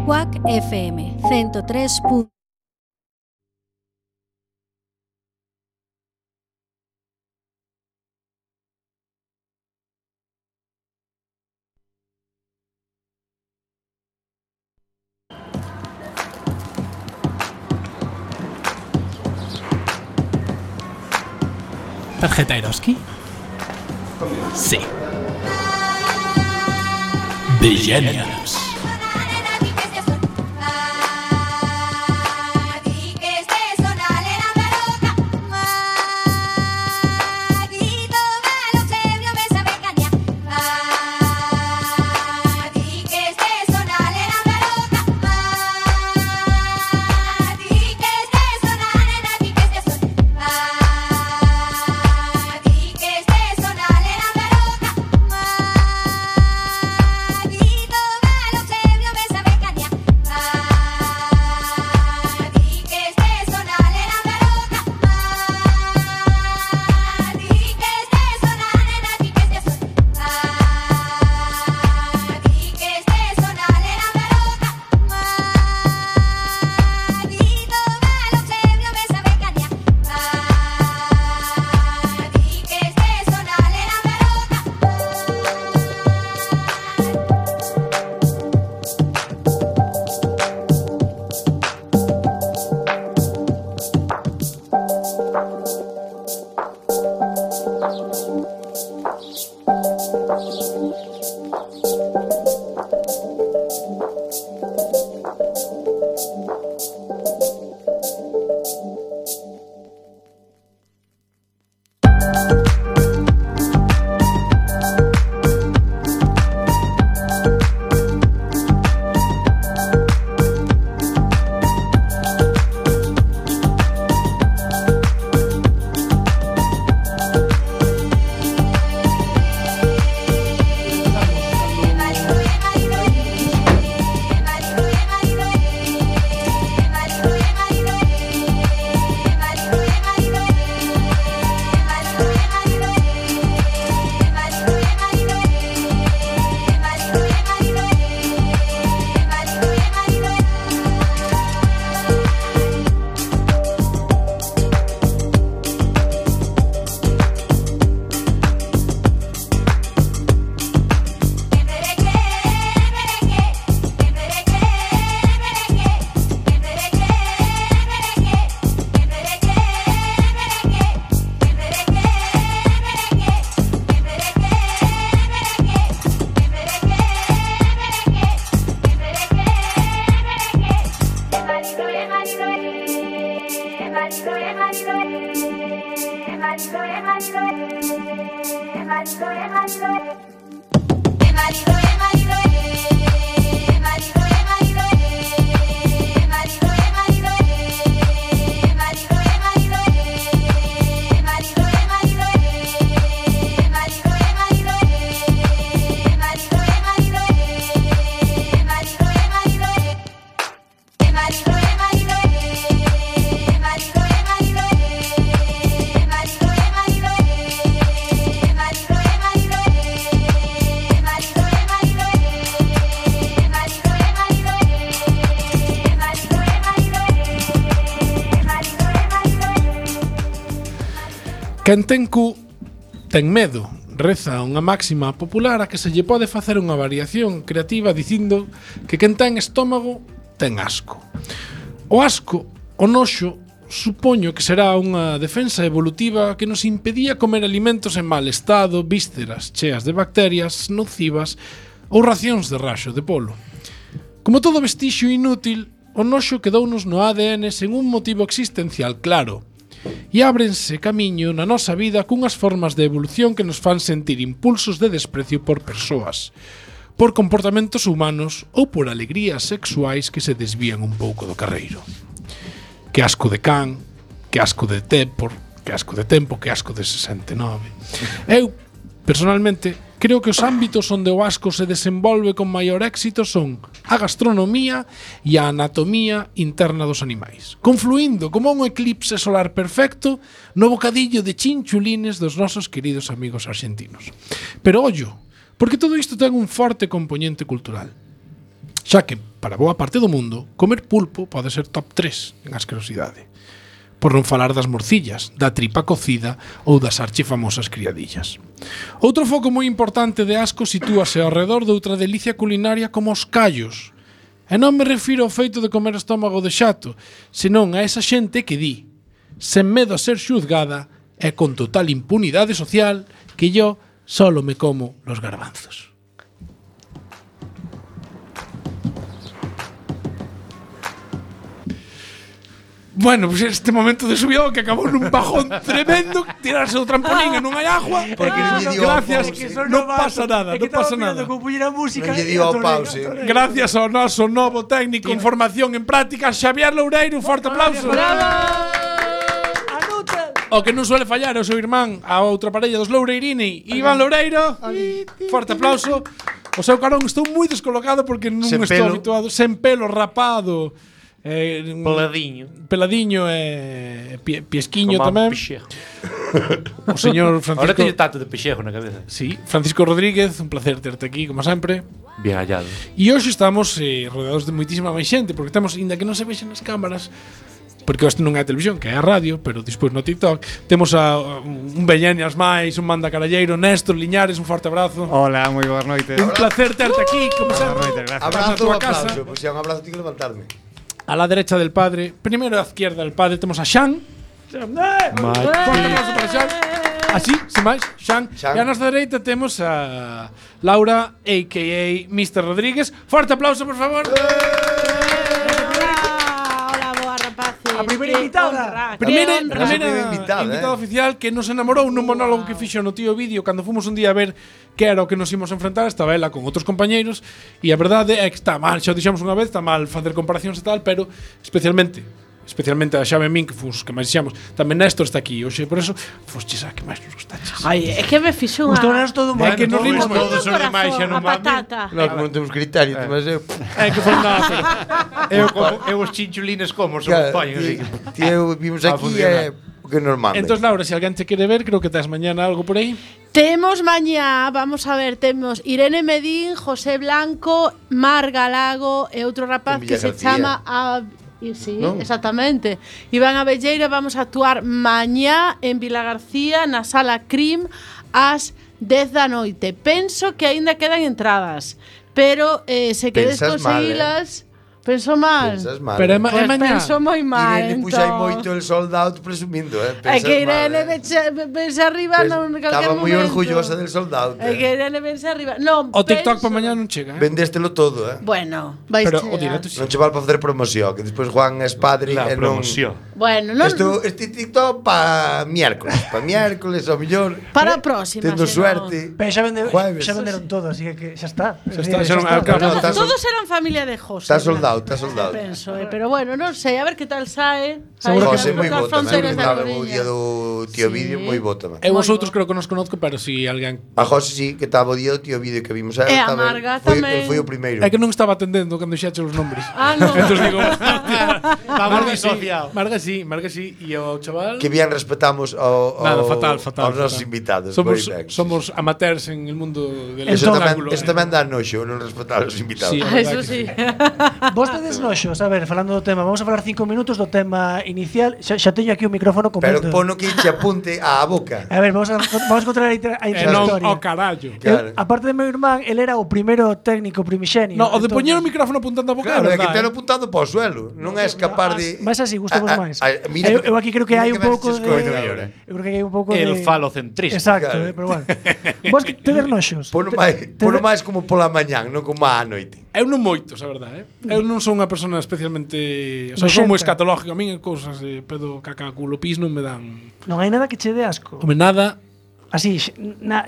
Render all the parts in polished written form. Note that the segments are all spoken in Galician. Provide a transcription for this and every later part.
Quack FM 103. ¿Tarjeta Eroski? Sí. The Genius. Quen ten cu ten medo, reza unha máxima popular a que se lle pode facer unha variación creativa dicindo que quen ten estómago ten asco. O asco, o noxo, supoño que será unha defensa evolutiva que nos impedía comer alimentos en mal estado, vísceras cheas de bacterias nocivas ou racións de raxo de polo. Como todo vestixio inútil, o noxo quedounos no ADN sen un motivo existencial claro, e ábrense camiño na nosa vida cunhas formas de evolución que nos fan sentir impulsos de desprecio por persoas, por comportamentos humanos ou por alegrías sexuais que se desvían un pouco do carreiro. Que asco de can, que asco de tempo, que asco de 69. Eu, personalmente, creo que os ámbitos onde o asco se desenvolve con maior éxito son a gastronomía e a anatomía interna dos animais, confluindo como un eclipse solar perfecto no bocadillo de chinchulines dos nosos queridos amigos argentinos. Pero ollo, porque todo isto ten un forte componente cultural, xa que, para boa parte do mundo, comer pulpo pode ser top 3 en asquerosidade. Por non falar das morcillas, da tripa cocida ou das archifamosas criadillas. Outro foco moi importante de asco sitúase ao redor de outra delicia culinaria como os callos. E non me refiro ao feito de comer estómago de xato, senón a esa xente que di, sen medo a ser xuzgada e con total impunidade social, que yo solo me como los garbanzos. Bueno, pues este momento de subión que acabou nun bajón tremendo, tirarse do trampolín e non hai agua. Gracias, non pasa nada, non pasa nada. Non lle dio ao pause. Gracias ao noso novo técnico en formación en práctica, Xavier Loureiro, un forte aplauso. O que non suele fallar é o seu irmán, a outra parella dos Loureirini, Iván Loureiro. Forte aplauso. O seu carón estou moi descolocado porque non estou habituado, sen pelo, rapado. Peladiño e piesquiño tamén. O señor Francisco. Ahora teño tato de pexejo na cabeza. Sí, Francisco Rodríguez, un placer terte aquí como sempre. Bien hallado. E hoxe estamos rodeados de moitísima máis xente, porque temos, inda que non se vexen nas cámaras, porque isto non é a televisión, que é a radio, pero despois no TikTok temos a un Bellenias máis, un manda caralleiro, Néstor Liñares, un forte abrazo. Hola, moi boas noites. Un placer terte aquí, como sempre. Abrazo ou aplauso, pois se é un abrazo tengo que levantarme. A la derecha del padre, primero a la izquierda del padre temos a Xan. Forte aplauso para Xan. Así, sin máis, Xan. E a nosa dereita temos a Laura, a.k.a. Mr. Rodríguez. Forte aplauso, por favor. A primeira invitada. Primeira invitada oficial que nos enamorou nun monólogo que fixo no Tío Vídeo cando fomos un día a ver que era o que nos ímos a enfrentar. Estaba ela con outros compañeiros e a verdade é que está mal, xa o dixemos unha vez, está mal facer comparacións e tal, pero especialmente a Xavi e min que fomos que máis dixamos. Tamén Néstor está aquí hoxe, por eso fosches a que máis nos gustaches. Ai, é que me fixo unha... Gustounos todo É que nos rimos todo sobre máis xa non a patata. No, como non temos criterio, mas eu... É que foi nada, pero Eu os chinchulines como se os poñen así. Tío, vimos aquí o que é normal. Entón, Laura, se alguén te quere ver, creo que tes mañana algo por aí. Temos mañá, vamos a ver, temos Irene Medín, José Blanco, Mar Galago e outro rapaz que se chama sí, ¿no? Exactamente. Iván Abelleira, vamos a actuar mañá en Vila García na Sala Crim ás 10 da noite. Penso que aínda quedan entradas, pero se queres conseguilas... Penso mal. Pensas mal. Pero é pues mañá. Penso moi mal. Irene puxa moito el sold out presumindo, É que Irene vense arriba non calquer momento. Estaba moi orgullosa del sold out. É que Irene vense arriba. Non, o TikTok para mañá non chega, Vendéstelo todo, Bueno, vais pero chegar. o directo sí. Non che val para facer promoción, que despois Juan é padre e non... Bueno, non... Este TikTok para miércoles ao millor. Para a próxima, tendo senón. suerte. Pero xa venderon todo, así que xa está. Todos eran familia de José. Está soldado, Penso, pero bueno, non sei, a ver que tal sae. Seguro que José moi nas bo tamén. fronteiras da O día do Tío Vídeo moi bo tamén. Eu os outros creo que nos conozco, pero si alguén... A José sí, que estaba o día do Tío Vídeo que vimos E a Marga tamén. Foi o primeiro. É que non estaba atendendo cando xache os nombres. Non. Entón digo, Marga sí, e o chaval... Que bien respetamos aos nosos invitados. Somos amateurs en el mundo del espectáculo. Eso tamén dá noxo, non respetar os invitados. Eso sí. Vostedes noxos, a ver, falando do tema, vamos a falar 5 minutos do tema inicial. Xa teño aquí o micrófono completo. Pero pono que che apunte á boca. A ver, vamos a contar a historia. O carallo. Aparte de meu irmán, el era o primeiro técnico primixenio. No, o de poñer o micrófono apuntando a boca. Claro, é que telo apuntando para o suelo. Non é escapar de... Mas así, gustamos máis. Eu aquí creo que hai un pouco de... Eu creo que hai un pouco de... El falocentrismo. Exacto, pero bueno. Vos que tedes noxos. Pono máis como pola mañán, non como á noite. Eu non moitos, a verdade, Eu non son unha persona especialmente... O sea, son moi escatológico. A mí cousas de pedo, caca, culo, pis non me dan... Non hai nada que che dé asco. Home, nada... Así,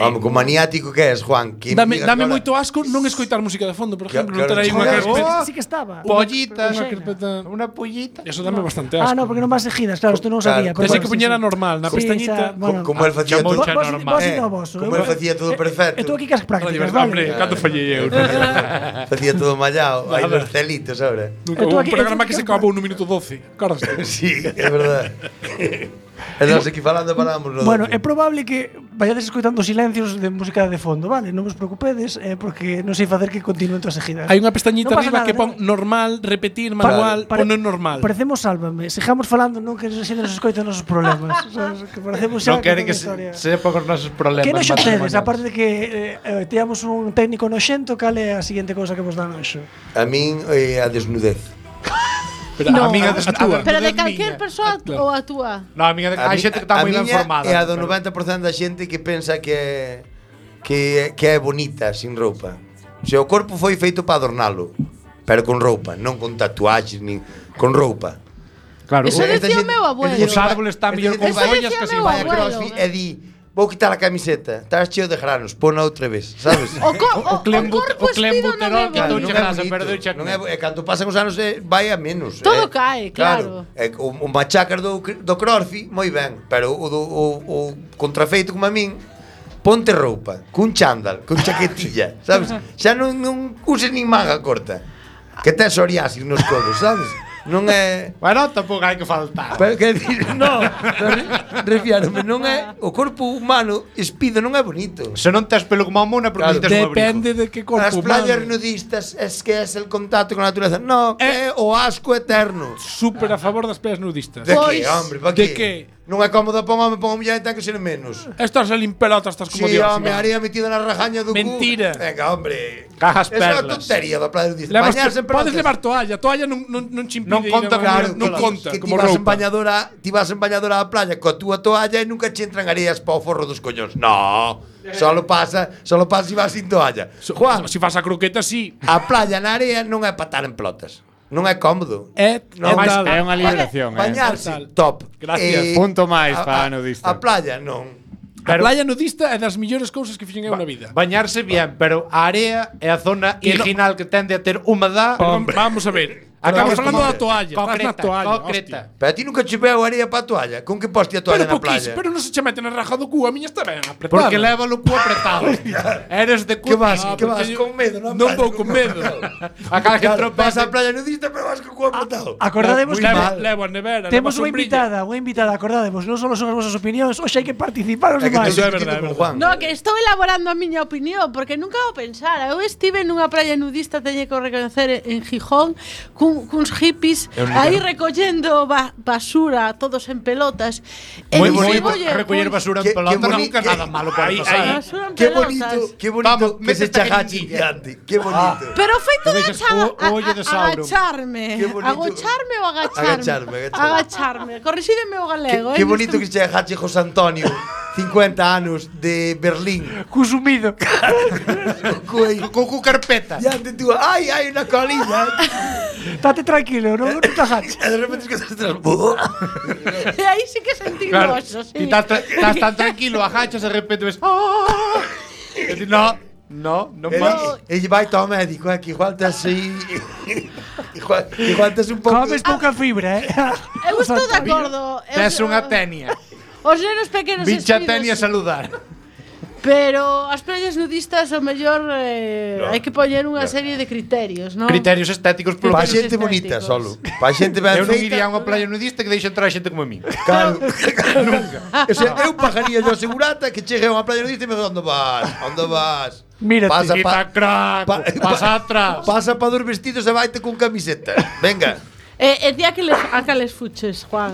como maniático que és, Juan. Dame moito asco non escoitar música de fondo, por exemplo. Non ter aí unha carpeta. Sí que estaba. Pollitas. Unha pollita. Eso dame bastante asco. No, porque non vas seguidas, claro, isto non o sabía. Pensei que puñera normal, na pestañita. Como el facía todo. Como el facía todo perfecto. E tú aquí que as prácticas, vale? Hombre, canto fallei eu. Facía todo mallado, aí nos celitos, ahora. Un programa que se acabou no minuto 12. Acordaste? Sí, é verdade. E nós aquí falamos no Bueno, é probable que vayades escoitando silencios de música de fondo, vale? Non vos preocupedes, porque non sei facer que continúen todas seguidas. Hai unha pestañita Non pasa arriba nada, que pon normal, repetir, manual, pon en normal. Parecemos Sálvame, sigamos falando, non que se nos escoiten os nosos problemas. Sabes? Que parecemos xa Non quere que historia. sepa os nosos problemas. Que noxo tedes, matrimoniales. aparte de que teamos un técnico noxento, cal é a seguinte cousa que vos dá noxo? A min a desnudez. Pero No, a miña a túa. Pero de Miña. calquer persoa Claro. ou a túa? No, a miña, hai xente que está moi ben formada. É a do pero- 90% da xente que pensa que é bonita sin roupa. O sea, o corpo foi feito para adornalo, pero con roupa, non con tatuaxes nin con roupa. Claro, Eso decía o meu abuelo. Os árboles están mellor con Eso follas decía que sin meu vai a abuelo. CrossFit e di, vou quitar a camiseta, estás cheo de granos, pona outra vez, sabes? O corpo o clembuterol que espido non é touche bonito. grasa, pero deixa non é, e cando pasan os anos vai a menos. Todo cae, claro. O machacas do CrossFit, moi ben, pero o contrafeito como a min, ponte roupa, cun chándal, con chaquetilla, sabes? Xa non uses nin manga corta. Que tes psoriasis nos codos, sabes? Non é... Bueno, tampouco hai que faltar. Pero que decir, no, refiárome, non é o corpo humano espido non é bonito. Se non tes pelo como a mona, porque Claro. necesitas un abrigo. Depende de que corpo As playas humano. nudistas es que es el contacto con la naturaleza. No, é o asco eterno. Súper a favor das playas nudistas. De Pois, que, hombre, pa de que? que? Non é cómodo para un home, para unha muller ten que ser menos. Estás ali en pelotas, estás como Sí, Dios. home, haría metida na rajaña do cu. Mentira. Venga, hombre. Cajas Esa é a perlas. tontería da playa nudista. Levas, Bañarse en podes pelotas. levar toalla non che impide. Non conta ir a- Claro, non que conta que como ti vas en roupa. bañadora, á playa coa túa toalla e nunca che entran areas para o forro dos coñóns. No, solo pasa si vas sin toalla. Juan, Se faz a croqueta, sí. a playa na area non é para estar en pelotas. Non é cómodo. é Non, máis- tal. é unha liberación. Bañarse, Tal. top. Gracias. Punto máis para nudista. A playa, non. A playa nudista é das millores cousas que fixen eu na vida. Bañarse bien, pero a area é a zona Que no- original que tende a ter humedad. Pero vamos a ver. Acabas falando da toalla, estás na toalla. Concreta. hostia. Pero a ti nunca che veo areia para a toalla. Con que poste a toalla Pero na playa? pero non se che mete na raja do cu, a miña está ben apretada. Porque leva o cu apretado. Eres de cu. Que vas, Ah, que vas porque con medo, non? Non vou con medo. A cada que Claro, vas tropeza. á playa nudista, pero vas co cu apretado. Acordademos que Levo a nevera, temos levo a unha sombrilla. invitada, acordademos, non só son as vosas opinións, hoxe hai que participar os É que demais. te Eso é estou verdade, discutindo é con verdade. Juan. No, que estou elaborando a miña opinión, porque nunca o pensara. Eu estive nunha praia nudista, teño que reconocer, en Gijón, cuns hippies, aí recollendo basura, todos en pelotas. E Moi dixen, bonito "Oye, recoller pois, basura que- en pelota, que boni- nunca que- nada malo pode Aí- pasar. basura en Qué pelotas. bonito Vamos, que se métete chajache aquí. gigante. Qué bonito. Pero feito de vexas o ollo de Sauron. agacharme. Qué bonito. Agacharme ou agacharme? Agacharme. Agacharme. Corrixídeme o galego. Qué bonito que se chajache José Antonio, 50 anos de Berlín. Cusumido. Con cu carpeta. Diante tú, ai, hai unha colilla. Estate tranquilo, non te agaches. E de repente que estás atrás. E aí sí que sentí Claro. noxo, sí. E estás tan tranquilo, agachas e de repente ves. E ti, no, non vas. E vai ao médico, que igual tes aí. Igual tes un pouco. Comes pouca fibra, Eu estou de acordo. Tes unha tenia. Os nenos pequenos Vincha espidos, tenia a saludar. pero as playas nudistas o mellor hai que poñer unha serie de criterios, non? Criterios estéticos polo Pa Criterios xente bonita estéticos. solo. Pa xente ben Eu non feita. iría a unha playa nudista que deixe entrar a xente como a mí. Claro, nunca. O sea, eu pagaría yo a segurata que chegue a unha playa nudista e me digo, onde vas? Onde vas? Mírate. Pasa Quita crack, pasa atrás. Pasa pa dos vestidos e vaite con camiseta. Venga. E ti a cales fuches, Juan?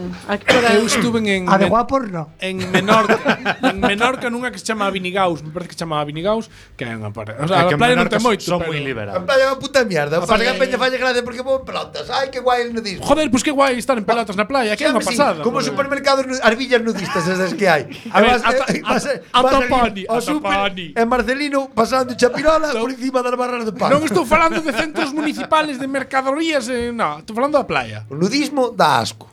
Eu estuve en A de guapos, no. en Menorca nunha que se chama Vinigaus, me parece que se chama Vinigaus, que é unha parte. O sea, É que a playa non Menorca ten moito, son pero- moi A liberados. playa é unha puta mierda. Pasa que a peña falle gracia porque vou en pelotas. Ai, que guai el nudismo. Joder, pois que guai estar en pelotas na playa, que é unha Chame, sí, pasada. como joder. supermercados, as villas nudistas esas que hai. A ver, Vas- vas- a vas Toponi, ali ao a súper, Toponi. En Marcelino, pasando chapirola por encima das barras de pan. Non estou falando de centros municipales de mercadorías, no, estou falando da playa. O nudismo dá asco.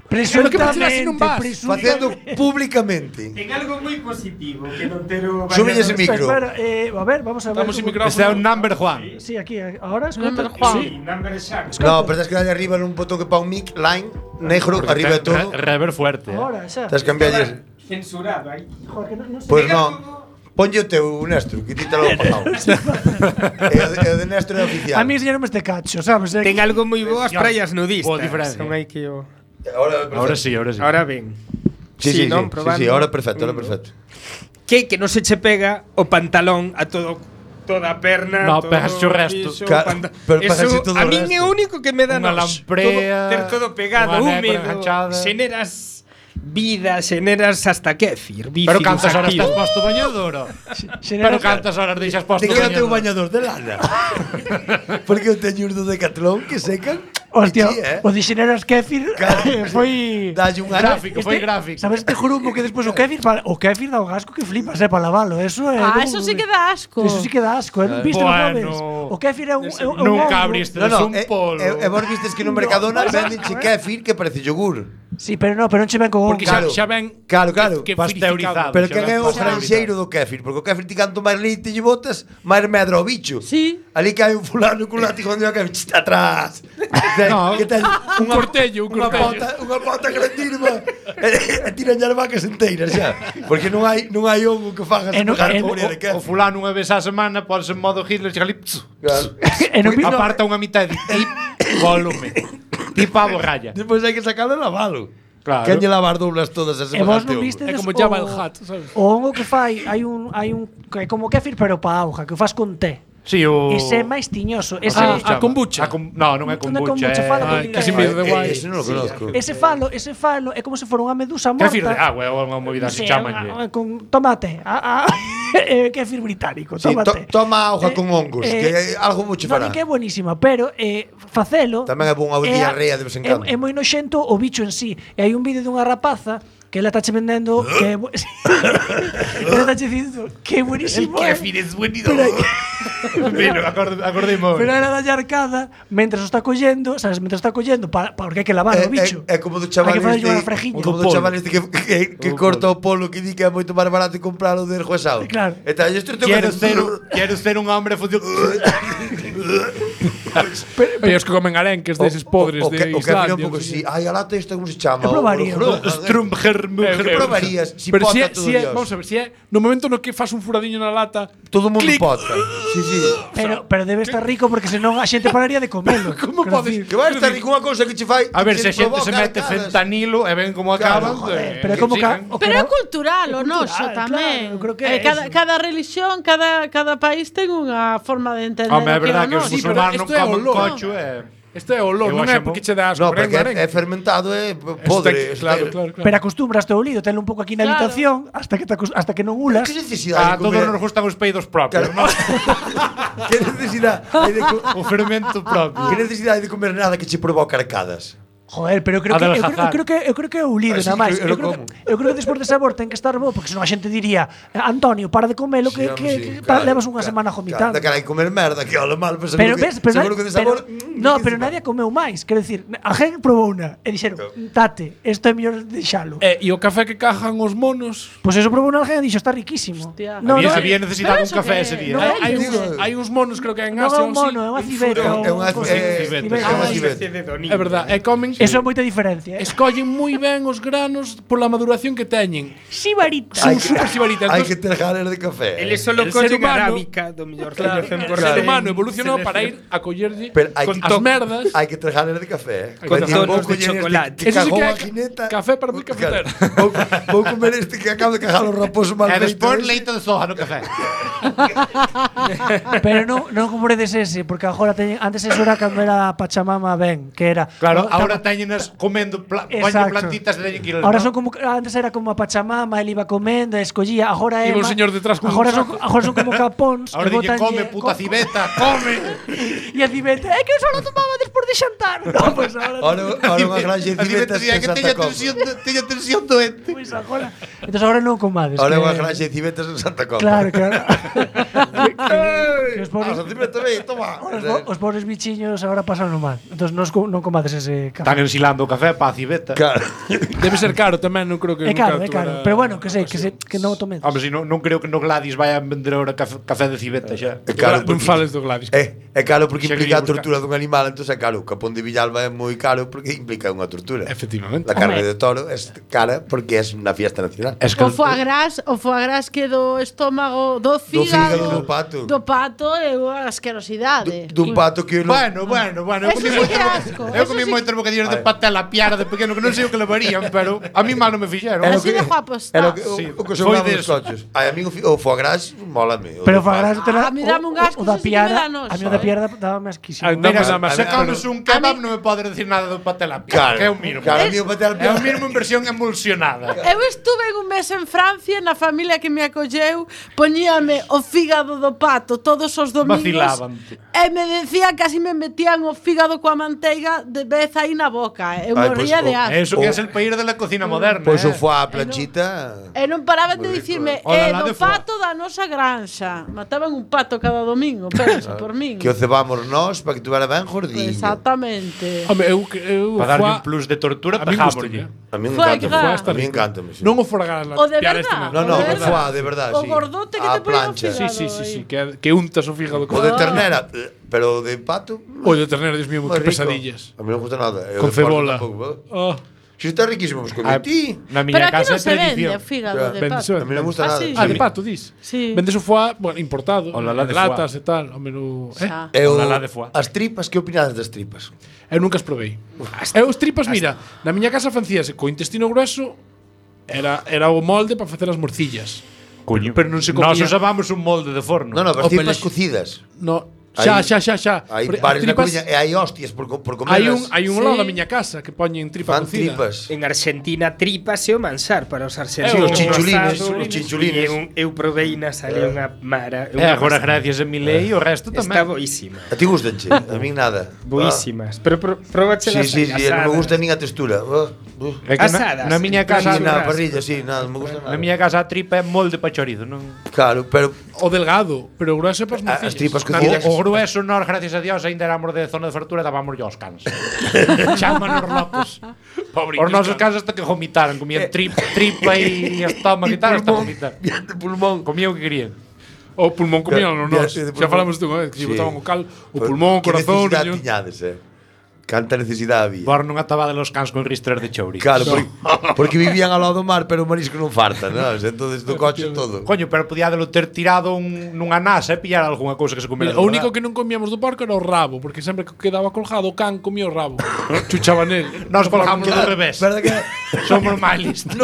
Pero que vas a ir así non vas? Facendo públicamente. Ten algo moi positivo que non ter o Súbelle ese micro. Espera, a ver, vamos a ver. Estamos sin micrófono. Este é un number Juan. Sí, aquí, ahora escucha. Number Juan. Sí, number shark. No, pero tens que darle arriba nun botón que pa un mic line negro arriba de todo. Rever fuerte. Ahora, xa. Tens que cambiarlle. Censurado aí. Joder, que non sei. Pois non. Ponlle o teu, Néstor, que ti te lo pagado. E o de Néstor é oficial. A mí enseñaronme este cacho, sabes? Ten algo moi bo as praias nudistas. Boa diferencia. Son aí que o... Ahora Ahora sí, ahora sí. Ahora ben. Sí, non? Probando. ahora perfecto, ahora perfecto. Que non se che pega o pantalón a toda a perna. No, todo pegas o resto. Pero pegas Eso, todo a o min é resto. o único que me dá Unha nos. lamprea, Ter todo pegado, unha húmedo. negra enganchada. Xeneras vida, xeneras hasta kéfir. Pero cantas horas estás posto bañador? Pero cantas horas deixas posto De que eu tengo bañador? bañador de lana. Porque eu teño uns do Decathlon que secan. Hostia, Sí, o de xeneras kéfir foi Dalle un Gráfico, foi gráfico. Sabes este grupo que despois o kéfir dá un asco que flipas, para lavalo. Eso é. Eso sí que dá asco. Eso sí que dá asco, viste Bueno. alguna vez? O kéfir é un Nunca hongo. abriste No, un polo. vos vistes que no Mercadona venden kéfir que parece yogur. Sí, pero non che ven con hongo. Porque Claro. xa ven Claro. que Pasteurizado. Pero xa quen é ven o pasteurizado. granxeiro do kéfir? Porque o kéfir ti canto máis leite lle botas, máis medra ao bicho. Sí. Ali que hai un fulano con látigo onde o kéfir está atrás. No, que ten un cortello, un unha cortello. unha pota grandísima e tiran as vacas enteiras xa. Porque non hai hongo que fagas E non- pegar e con de O kéfir. fulano unha vez á semana ponse en modo Hitler chega ali, Claro. E non vi- aparta unha mitad de volume. Tipo a borralla. Despois hai que sacalo e lavalo. Claro. Quen lle lavar doblas todas as E vos semanas? non viste É como Jabba el Hutt, sabes? O hongo que fai, hai un que é como kéfir pero pa auga, que o fas con té. Sí, o Ese é máis tiñoso. Ese A kombucha. No, non é Non é kombucha. kombucha, fala Ai, con que sin medo de guai. Ese non o conozco. ese falo é como se fora unha medusa morta. Kéfir de agua, é unha movida así chamanlle. Con tomate. Kéfir británico, Sí, tomate. toma auga con hongos, que algo mucho fará. Non, que é buenísima, pero facelo Tamén é bon a diarrea de vez en cando. É moi noxento o bicho en sí. E hai un vídeo dunha rapaza que ela tache vendendo que ela tache dicindo que é buenísimo. es buenísimo. Mira, acordei moi. Pero era da arcada mentras o está collendo, sabes, mentras está collendo porque hai que lavar o bicho. É como do chaval Hai que facerlle unha este, frejiña. como do chaval este que corta o polo que di que é moito máis barato compralo del juezado. Claro. E tal, isto tengo Quero ser un hombre función. E os que comen arenques deses podres o de que mira un Islandia. pouco así. Ai, a lata esta como se chama? Eu probaría. Que probarías? Si Pero pota si é, todo si é, Dios. vamos a ver, si é no momento no que fas un furadiño na lata, Todo o mundo Clic. pota. Sí, sí. Pero debe estar rico porque senón a xente pararía de comelo. Como Quero podes- dicir, Que vai estar rico unha cousa que che fai. A ver, que se a xente se provoca mete arcadas. fentanilo e ven como acaban. joder, pero é como sigan. o Pero é era- cultural, o cultural, noso claro, tamén. eu creo que é Cada, eso. cada religión, cada país ten unha forma de entender Home, é o que é verdad o que os noso. Sí, pero musulmanes non isto é comen olor. cocho e... Este é o olor, Eu non é acho porque che dá asco. No, pero porque é é fermentado, é podre. Claro, claro, claro. Pero acostúmbraste ao lío, telo un pouco aquí na Claro. habitación hasta que non ulas. Que necesidade A de todos comer? nos gustan os peidos propios, Claro. non? Que necesidade hai de O fermento propio. Que necesidade de comer nada que che provoca arcadas? Joder, pero eu creo que Adelgazar. eu creo que é o lío Ah, sí, nada máis. eu como. Eu creo que despois de sabor ten que estar bo, porque senón a xente diría, Antonio, para de comelo que, levas unha semana vomitando. Da cara hai comer merda, que ole mal, pero Pero seguro ves, que, pero, seguro que de sabor. no, pero nadie comeu máis. Quero dicir, a gente probou unha e dixeron, tate, isto é mellor deixalo. E o café que cajan os monos, Pois eso probou unha alguén e dixo, está riquísimo. Hostia. Había necesidade Pero un eso café que- ese día. no eh? hai hai uns monos creo que en Non é Asia un ou mono, é unha civeta. É unha civeta. É verdade, e comen Eso é moita diferencia. escollen moi ben os granos pola maduración que teñen. Sibarita. Son super sibaritas. Hai que ter ganas de café. Eles solo El ser collen humano- arábica do mellor Claro, que o ser humano evolucionou para ir a collerlle Pero hai con que- as merdas. Hai que ter ganas de café. Con Vai dicir, tonos vou de coller chocolate. Que Eso sí cagou que é a jineta. café para moi cafetero. Vou comer este que acabo de cagar o raposo mal E feito. despois ese. leite de soja no café. Pero non compredes ese, porque agora antes eso era cando era Pachamama ben, que era. Claro, no, ahora teñenas comendo Exacto. plantitas de teñen que ir. Ahora ¿no? son como antes era como a Pachamama, él iba comendo, escollía, agora é Iba un señor detrás con agora un son, saco. agora son como capóns. Ahora que dille botanlle- come puta civeta, come. E a civeta, é que eu só lo tomaba despois de xantar. No, pues Ahora unha granja de civetas en Santa Comba. teña tensión doente. Pois agora. Entonces agora non comades. Ahora que- unha granja de civetas en Santa Comba. Claro, claro. Que os pobres, Ah, civeta, ve, toma. os pobres bichiños agora pasan mal. Entonces non comades ese café. Están ensilando o café pa civeta. Claro. Debe ser caro tamén, non creo que É caro, nunca é caro. tuvera- Pero bueno, que non o tomedes. Hombre, si non creo que no Gladys vai a vender ahora café de civeta xa. É caro Non porque fales do Gladys. É caro porque Xa implica a quería buscar. tortura dun animal, entón é caro. O capón de Villalba é moi caro porque implica unha tortura. Efectivamente. La carne Home. de toro é cara porque é unha fiesta nacional. Es que O foie gras que do estómago, do fígado, do pato. do pato é unha asquerosidade. Dun pato que Bueno, eu Eso comí sí moito que asco, Eu eso comí sí- moitos bocadillos de patela piara de pequeno que non sei o que levarían, pero a mí mal non me fixeron. Así de guapo Era está. o que sobraba dos coches. Ai, a mí o foie gras mólame. Pero foie gras A mí dame un asco, o da ese sí que me dá piara, noso, a mí o da piara dábame asquísimo. Mira, Se comes un kebab non me podes decir nada do patela Claro, piara, que é o mínimo. claro, a mí o patela É o piara. mínimo en versión emulsionada. Eu estuve un mes en Francia, na familia que me acolleu, poñíame o fígado do pato todos os domingos. Vacilábante. E me decía, casi me metían o fígado coa manteiga de vez aí na boca. Eu Ai, morría pois, de asco. Eso que é el peir de la cocina moderna. Pois o foie a planchita. E non paraban de Moi rico, dicirme, O la do de foie. pato da nosa granxa. Mataban un pato cada domingo, pensa, por min. Que o cebamos nós para que tuvera ben gordinho. Exactamente. Home, eu Para darlle foie- un plus de tortura, a mí pejámoslle. gustaría. A mí me Foie encanta. gras. A mí encántame. Sí. Non o forgar O de piara verdad. este No, no, o o de foie de verdad, O sí. gordote que A te poñen o plancha. fígado. Sí, que untas o fígado O de ternera, pero o de pato. O de ternera, Dios mío, moi que rico. pesadillas. A mí non me gusta nada. E o Con de porco cebola. tampouco, Oh, Si está riquísimo, pues comí ti. Na Pero miña aquí casa non é se vende tradición. o fígado de vende pato. A mí non me gusta Ah, nada. sí? de pato, dis. Sí. Vendes o foie, bueno, importado, O la de latas e tal, o menú, Xa. E o, Olalá de foie. as tripas, que opinades das tripas? Eu nunca as probei. Eu os tripas, mira, na miña casa facíase co intestino grueso, era o molde para facer as morcillas. Coño. Pero non se comía. Nós usabamos un molde de forno. No, no, as O tripas pelexo. cocidas. No, xa. Hai Pero as bares na tripas- Coruña e hai hostias por comerlas. Hai un Sí. lado da miña casa que poñen tripa Fan cocida. tripas. En Argentina tripas é o manxar para os argentinos. Sí, os chinchulines, Asado, os chinchulines. Eu provei na sale unha mara. E agora gracias a Milei o resto Está tamén. boísima. A ti gustanche? A min nada. Boísimas. Pero probachelas Sí, non me gusta nin a textura. É que Asadas. na miña casa Ni na churrasco. parrilla, sí, nada, non me gusta nada. na miña casa a tripa é molde pa chorizo, non? Claro, pero O delgado, pero o grueso é para as morcillas. as tripas O, cocidas. o grueso nós, gracias a Dios, ainda éramos de zona de fartura e dábamos aos cans. Chámanos locos. Os nosos cans hasta que vomitaran, comían tripa e estómago e tal, hasta vomitar. De pulmón. Comían o que querían. O pulmón comían no nós. De Xa pulmón. falamos dunha vez que Sí. lle botaban o cal, o pulmón, o Que corazón, necesidade riñón. tiñades, Canta necesidade había. Por non atabade los cans con ristras de chouri. Claro, porque vivían ao lado do mar, pero o marisco non farta, non? Entonces do coche todo. Coño, pero podíadelo ter tirado nunha nasa e pillar algunha cousa que se comera. Mira, o único que non comíamos do porco era o rabo, porque sempre que quedaba colgado o can comía o rabo. Chuchaba nel. Nós colgamos do revés. Verdad que Somos máis listos.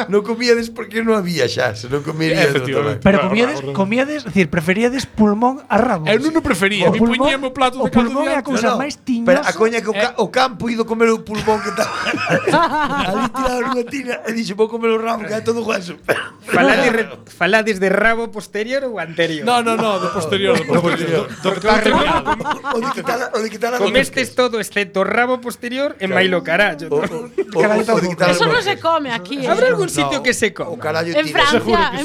non comíades porque non había xa, se non comerías Efectivamente. Pero comíades, es decir, preferíades pulmón a rabo. Eu non o prefería, O mi pulmón- poñíame o plato o de caldo pulmón é a diante. cousa máis tiñosa. Pero a coña que o campo ido comer o pulmón que estaba ali tirado nunha tina e dixo, vou comer o rabo que é todo hueso. Falades de rabo posterior ou anterior? No, do posterior, do posterior. Do que está remado. O de quitar a Comestes todo excepto o rabo posterior e mailo carallo. o de quitar Eso non se come aquí. Habrá algún sitio que se O coma? carallo En tira.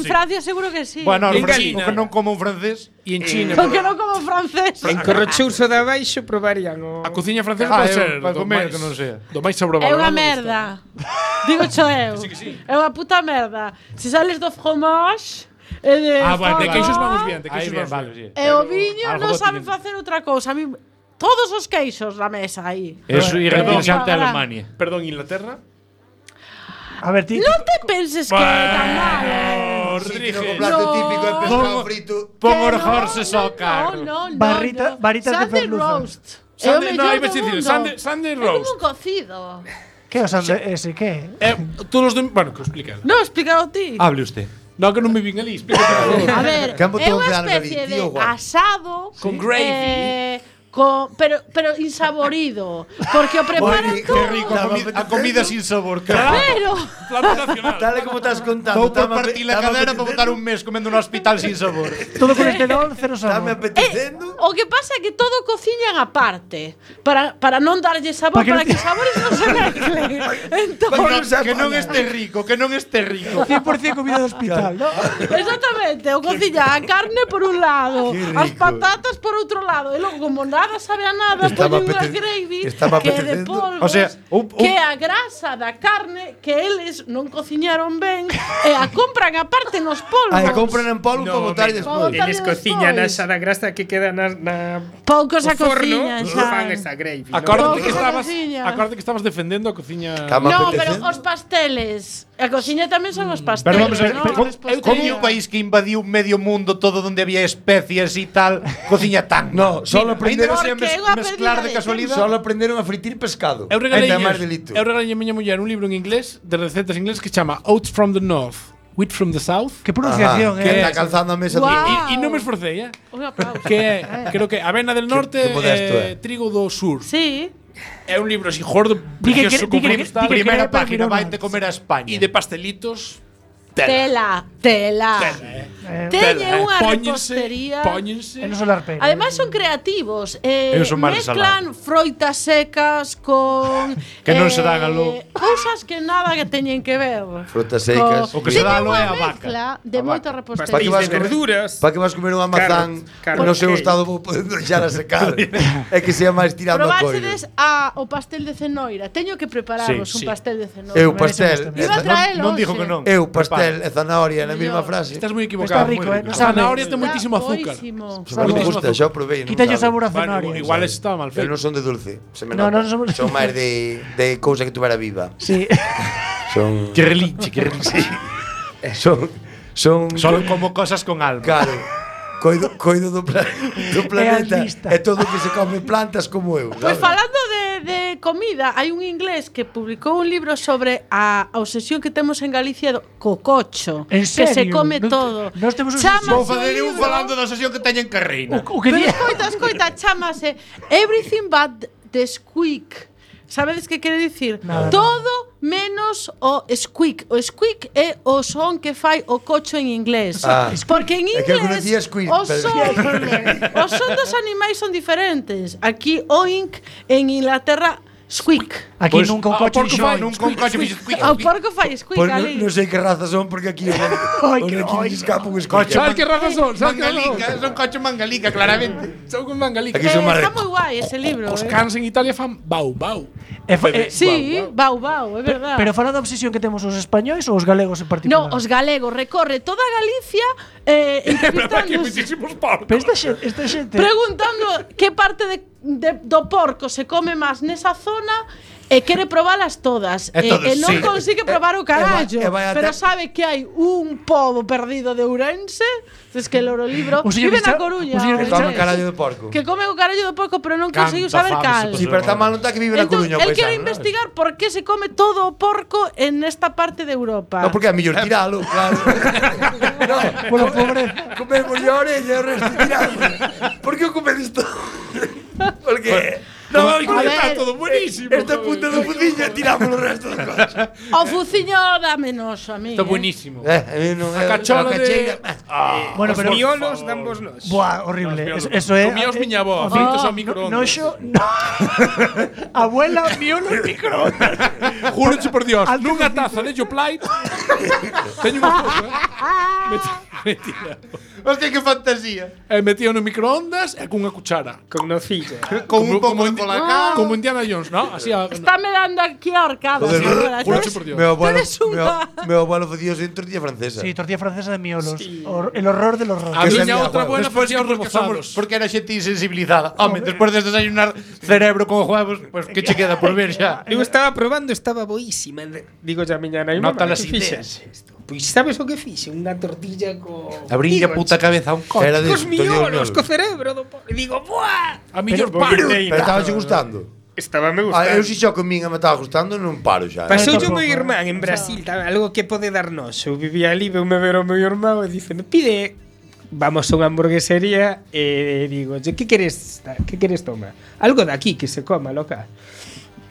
Francia seguro que sí. Bueno, En o China. que non como un francés. E en China, Porque non como francés. En Corrochouso de abaixo probarían o... a cociña francesa Ah, pode eu, ser para do comer, máis- que non sea. Do máis sobrevalorado. É unha da merda. Digo cho eu. É unha puta merda. Se sales do fromage e de De queixos vamos bien, de Aí queixos bien, vamos vale, bien. sí. E o viño Algo non botiño. saben facer outra cousa. A mí todos os queixos na mesa aí. Eso irrepresentante a Perdón. Alemania. Perdón, Inglaterra. A ver, ti. Non te penses que é tan malo. Rodríguez. O plato No. típico é pescado frito. Pon Que os no, horses ao carro. No, Varitas de Sunday merluza. roast. É o Sunday- no, mellor iba a do dicir, mundo. Sunday É como roast. un cocido. Que o sande ese que? Todos os bueno, que o explica. Non, explícalo ti. Hable usted. No, que non me vin ali, explica, por favor. A ver, Que han é botado unha de algo ali, especie de tío, guau. asado Con gravy. pero insaborido, porque o preparan rico, todo. qué rico. A comida sin sabor. Pero Plato nacional. Tal e como estás contando. Vou por partir la cadera para botar un mes comendo no hospital sin sabor. Todo colesterol, cero Estame sabor. apetecendo. o que pasa é que todo cociñan aparte para non darlle sabor, Para para que que os sabores non se mezclen. Entón, Que non este rico, que non este rico. 100% comida de hospital, ¿no? exactamente, o cociña a carne por un lado, Qué as rico. patatas por outro lado, e logo como nada sabe a nada, Estaba poñen unha apete- gravy estaba que é de apetecendo. polvos, O sea, que é a grasa da carne que eles non cociñaron ben e a compran aparte nos polvos. Aí compran en polvo para botar e Para despois. botar Eles despois. cociñan asa da grasa que queda na Poucos a o forno, cociñan xa. fan esa gravy. ¿no? Acórdate que Pouco estabas, cociña. acórdate que estabas defendendo a cociña. Estaba No, pero apetecendo. os pasteles. A cociña tamén son os pasteles. Pero vamos a ver, ¿no? como un país que invadiu medio mundo todo donde había especias e tal, cociña tan. No, solo aprender aprenderon a Porque é unha mezclar de pérdida de casualidade. Solo aprenderon a fritir pescado. Eu regalei Ainda máis delito. a miña muller un libro en inglés de recetas en inglés que se chama Oats from the North, Wheat from the South. Que pronunciación, que é está calzando a mesa Guau. E non me esforcei, Un aplauso. que é, creo que avena del norte que modesto e trigo do sur. Sí. É un libro así gordo, Di que precioso, di con que- primos tal, di que- Primeira pero página, mira, vaite comer a España. e de pastelitos. Tela. Teñe unha repostería. E non solar pena. Ademais son creativos. Eu son máis Mezclan froitas secas con Que non se dan aló. cousas que nada que teñen que ver. Frutas secas. O que se dá aló é a Teñen unha vaca. mezcla de moita repostería. Pa' que Pastéis vas de comer- verduras. Para que vas comer unha mazán Carrot, no seu cake. estado vou podendo deixar a secar. É que sea máis tirando a coiro. Probaxedes o pastel de cenoira. Teño que prepararvos un pastel de cenoira. Eu pastel, Iba a traelo Non dijo hoxe. que non. eu pastel e zanahoria na mesma frase. Estás moi equivocado. Está rico, moi no A sabe. zanahoria ten moitísimo azúcar. Boísimo. Non me gusta, xa o provei. non Quítalle o sabe. sabor a Bueno, zanahoria. igual está mal Pero feito. non son de dulce, se me No, nota. non somos- Son máis de cousa que tuvera viva. Sí. Son Que relinche, que relinche. son Son como cosas con alma. Claro. Coido do planeta altista. e todo o que se come plantas como eu. Pois sabes? falando de comida, hai un inglés que publicou un libro sobre a obsesión que temos en Galicia co cocho, En que se serio? come Non- todo. nós temos un Chámase Vou o fazer un libro- falando da sesión que teñen carreira. O que Pero di... escoita, chámase Everything but the Squeak. Sabedes que quere dicir? Nada, Todo menos o squeak. O squeak é o son que fai o cocho en inglés. Ah. Porque en É que eu inglés conocía squeak, o pero- son dos animais son diferentes. Aquí oink, en Inglaterra squeak. Aquí Pois, nunca un ao coche porco dixo, fai Nun con coche fixo squeak. O porco fai squeak Pois ali. non sei que raza son porque aquí Ai, que- aquí ai, escapa un Coche. escoche. Sabes que razas son? Sabes que razas Mangalica, son? son coche mangalica, claramente. Son con mangalica. Aquí son Está marrecos. moi guai ese libro. Os cans en Italia fan bau, bau. Sí, bau, bau, é verdade. Pero falando da obsesión que temos os españois ou os galegos en particular? No, os galegos recorre toda Galicia entrevistándose, Pero esta xente preguntando que parte do porco se come máis nesa zona e quere probalas todas E todos, e non sí. consigue probar o carallo, e vai a pero ter- sabe que hai un pobo perdido de Ourense, es que el libro O señor vive que na está- Coruña, o señor que Toma Ourense, carallo de porco. que come o carallo do porco, pero non Canta conseguiu saber fame, cal. se Si, pero está mal, non está que vive na Entón, Coruña, el pois, quere ¿no? investigar por que se come todo o porco en esta parte de Europa. No, porque é mellor tiralo, claro. No, Polo pobre. comemos a orella e o resto tirado. Por que o comedes todo? Porque No, A está ver, todo buenísimo. esta punta do fudiño tiramos o resto do coche. O fuciño dame noso a mí. Está buenísimo. A mí non é cachola a cacheira. Bueno, Os pero miolos dambos nos. Buah, horrible. Eso é. Comíaos miña avó, fritos ao microondas. Noxo. No. Abuela, miolo en microondas. Júroche por Dios, nunha taza de Yoplait. Teño unha foto, metía. Hostia, que fantasía. Metía no microondas e cunha cuchara. Con nocilla. Con un pouco de colacao. Como Indiana Jones, ¿no? Así a, Estáme dando aquí a horcadas Joder, agora, júroche sabes? por Dios. Meu abuelo, Eres unha- meu abuelo facía en tortilla francesa. Sí, tortilla francesa de miolos. El horror del horror. A Que miña sabía outra juego. buena Despois facía os porque rebozados. porque era xente insensibilizada. Home, despois de desayunar cerebro con huevos, pues que che queda por ver xa. Eu estaba probando, estaba boísima. Digo xa a miña nai, Nota mamá, las que fixes isto? Pois sabes o que fixe? Unha tortilla co... Abrí a Digo, puta cabeza a un coche. Era de Cos miolos, miolos. co cerebro do porco. E digo, buah! A millor Pero- paro. Pero estaba che gustando. Estaba me Ah, eu gustando. si xo comín e me estaba gustando, non paro xa. Pasou Tampouco, o meu irmán en Brasil, algo que pode darnos. Eu vivía ali, veume ver o meu irmán e dicen, pide, vamos a unha hamburguesería e digo, que queres tomar? Algo de aquí que se coma, loca.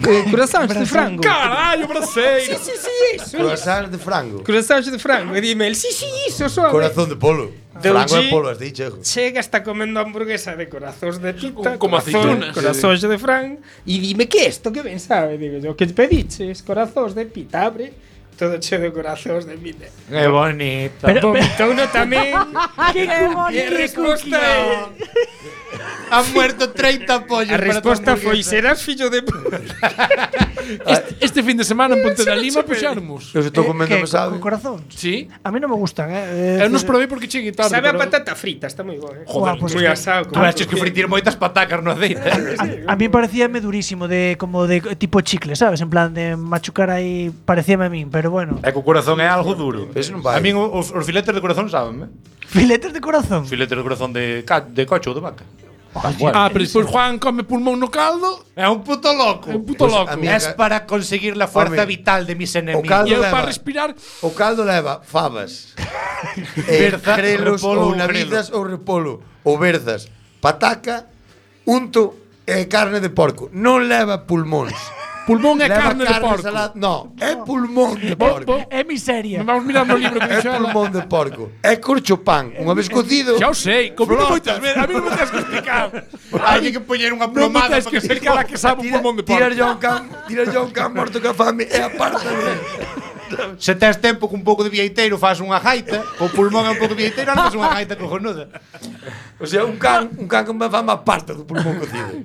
Croissants de frango. Carallo, braseiro. Sí, eso. Croissants de frango. Croissants de frango. E dime, sí, iso son. Corazón de polo. Deu Frango G. e polo, hasta aí chego. Chega, está comendo hamburguesa de corazóns de pita, Como aceitunas. corazóns de fran, e dime, que isto, que ben sabe? Digo yo, que pediches? Corazóns de pita, abre, todo cheo de corazóns de pita. Que bonito. Vomitou uno tamén, Que e a bonito. resposta é... Han muerto 30 pollos. A resposta foi, serás fillo de puta. Este fin de semana en Ponte da Lima puxáramos. Eu se estou comendo, me sabe. Con corazón. Sí. A mí non me gustan, Eu nos probei porque cheguei tarde. Sabe a pero- patata frita, está moi bo, Joder, pues moi es que- asado. Tú haches que fritir moitas patacas no aceite. A mí parecíame durísimo, como de tipo chicle, ¿sabes? En plan de machucar aí, parecíame a min, pero bueno. É que o corazón é algo duro. Ese non vai. A min os filetes de corazón saben, Filetes de corazón. Filetes de corazón de coche ou de vaca. Pero despois Juan come pulmón no caldo. É un puto loco. É un puto loco. Es para conseguir la fuerza vital de mis enemigos. E eu para respirar. O caldo leva fabas, Berza, grelos repolo ou navizas ou repolo, ou berzas, pataca, unto e carne de porco. Non leva pulmóns. Pulmón é Leva carne de porco. No, é pulmón de porco. É miseria. Vamos mirar no libro que É dixo ela. pulmón de porco. É corchopán. Unha vez cocido. Xa o sei, comi moitas veces. A mí non me tens que explicar. Hai que poñer unha Non me plomada tens que para que se explicar a que sabe un pulmón de porco. Tirar yo un can morto ca fame e aparta. Se tes tempo cun pouco de vieiteiro faz unha gaita, o pulmón é un pouco de vieiteiro, non faz unha gaita cojonuda. O sea, un can con fame aparta do pulmón cocido.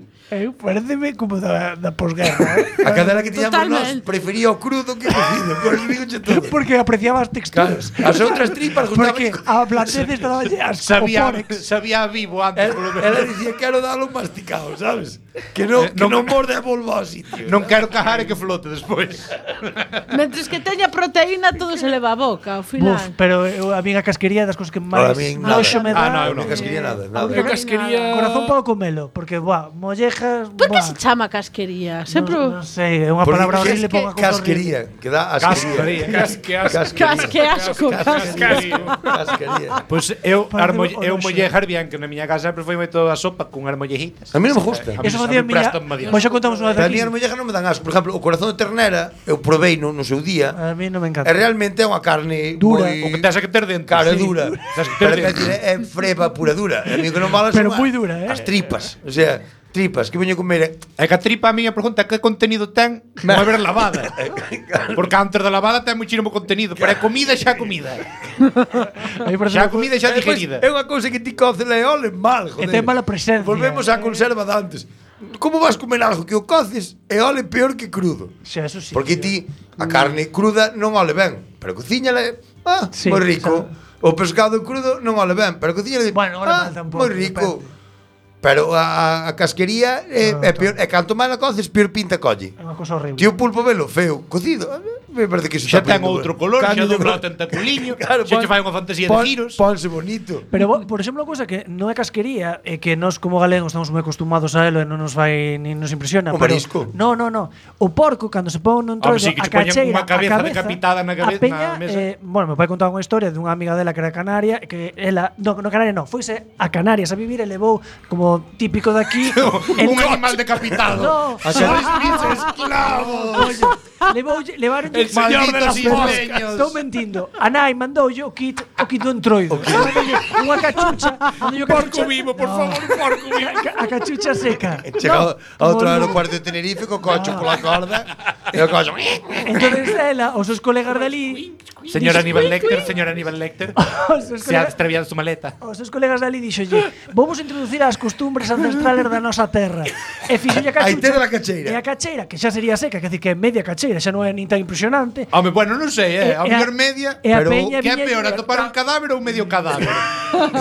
Pareceme como da posguerra. A cadela que tiñamos nós Totalmente. prefería o crudo que cocido. Por eso digo todo. Porque apreciaba as texturas. As outras tripas Porque gustaban. a blandez estaba asco. Sabía, Pórex. sabía vivo antes, polo menos. Ela dicía quero dalo masticado, sabes? Que non morde a volva ao sitio. Non quero cajar e que flote despois. Mentres que teña proteína, todo se leva a boca, ao final. Pero a mí a casquería das cousas que Para máis min nada. noxo me dá. no, Non casquería nada, A nada. casquería. Corazón podo comelo, porque mollejas, Por que se chama casquería? Sempre non sei, é unha Porque palabra que- horrible para unha cousa casquería, que dá asquería. Casque asco, Casquería. Pois eu Parece eu o mollejar bien, que na miña casa sempre foi moito a sopa con armollejitas. A mí non me gusta. Eso facía miña. Pois xa contamos unha vez Pero a aquí. mí as mollejas non me dan asco. Por exemplo, o corazón de ternera, eu provei no seu día, A mí non me e encanta. realmente é unha carne Dura. O que tens que ter dentro. Cara, Sí. dura. Tens que ter Pero dentro. é freba pura dura. E a mí que non vale Pero son moi dura, as tripas. O sea, tripas que veño comer. É que a tripa a miña pregunta é que contenido ten non haber lavada. Porque antes da lavada ten muchísimo contenido, pero é comida xa comida. A mí, por Xa exemplo, comida xa digerida. É unha cousa que ti coces e ole mal, que joder. ten mala presencia. Volvemos á conserva de antes. Como vas comer algo que o coces e ole peor que crudo? Xa, eso sí. Porque ti a carne cruda non ole ben, pero cociñala, Sí, moi rico. O pescado crudo non ole ben, pero cociñala, Bueno, ole mal tampouco, moi rico. Pero a casquería é peor, e canto máis a coces, peor pinta colle. É unha cousa horrible. Ti o pulpo velo feo, cocido, me parece que iso Xa está ten poniendo outro color, xa cambio de dobla o color. tentaculiño, Claro, xa che fai unha fantasía de giros. Ponse bonito. Pero, por exemplo, unha cousa que non é casquería é que nós como galegos estamos moi acostumados a elo e non nos vai ni nos impresiona. O pero marisco. No. O porco, cando se pon nun Home, trozo sí, que a che poñan cacheira, unha cabeza a cabeza decapitada na a peña, na mesa. bueno, meu pai contaba unha historia dunha amiga dela que era canaria, que ela, no Canaria non, foise a Canarias a vivir e levou como típico de aquí Un animal decapitado. No, A ser esclavo. levaron El señor de las moscas. Estou mentindo. A nai mandoulle o kit do entroido. Unha cachucha, mandoulle Porco vivo, por favor, un porco vivo. a cachucha seca. Chegado a outro como aeropuerto de Tenerife co cocho pola corda e o cocho. Entonces ela, os seus colegas dali, Señor Aníbal Lecter, señor Aníbal Lecter, os seus se ha colegas, extraviado su maleta. os seus colegas dali dixolle, vamos introducir as costumbres ancestrales da nosa terra. E fixolle a cachucha. Aí ten a cacheira. E a cacheira, que xa sería seca, que decir que é media cacheira, xa non é nin tan impresionante. Home, bueno, non sei, E- a e a- mellor media, e a pero peña que é viña- peor, atopar un cadáver ou medio cadáver?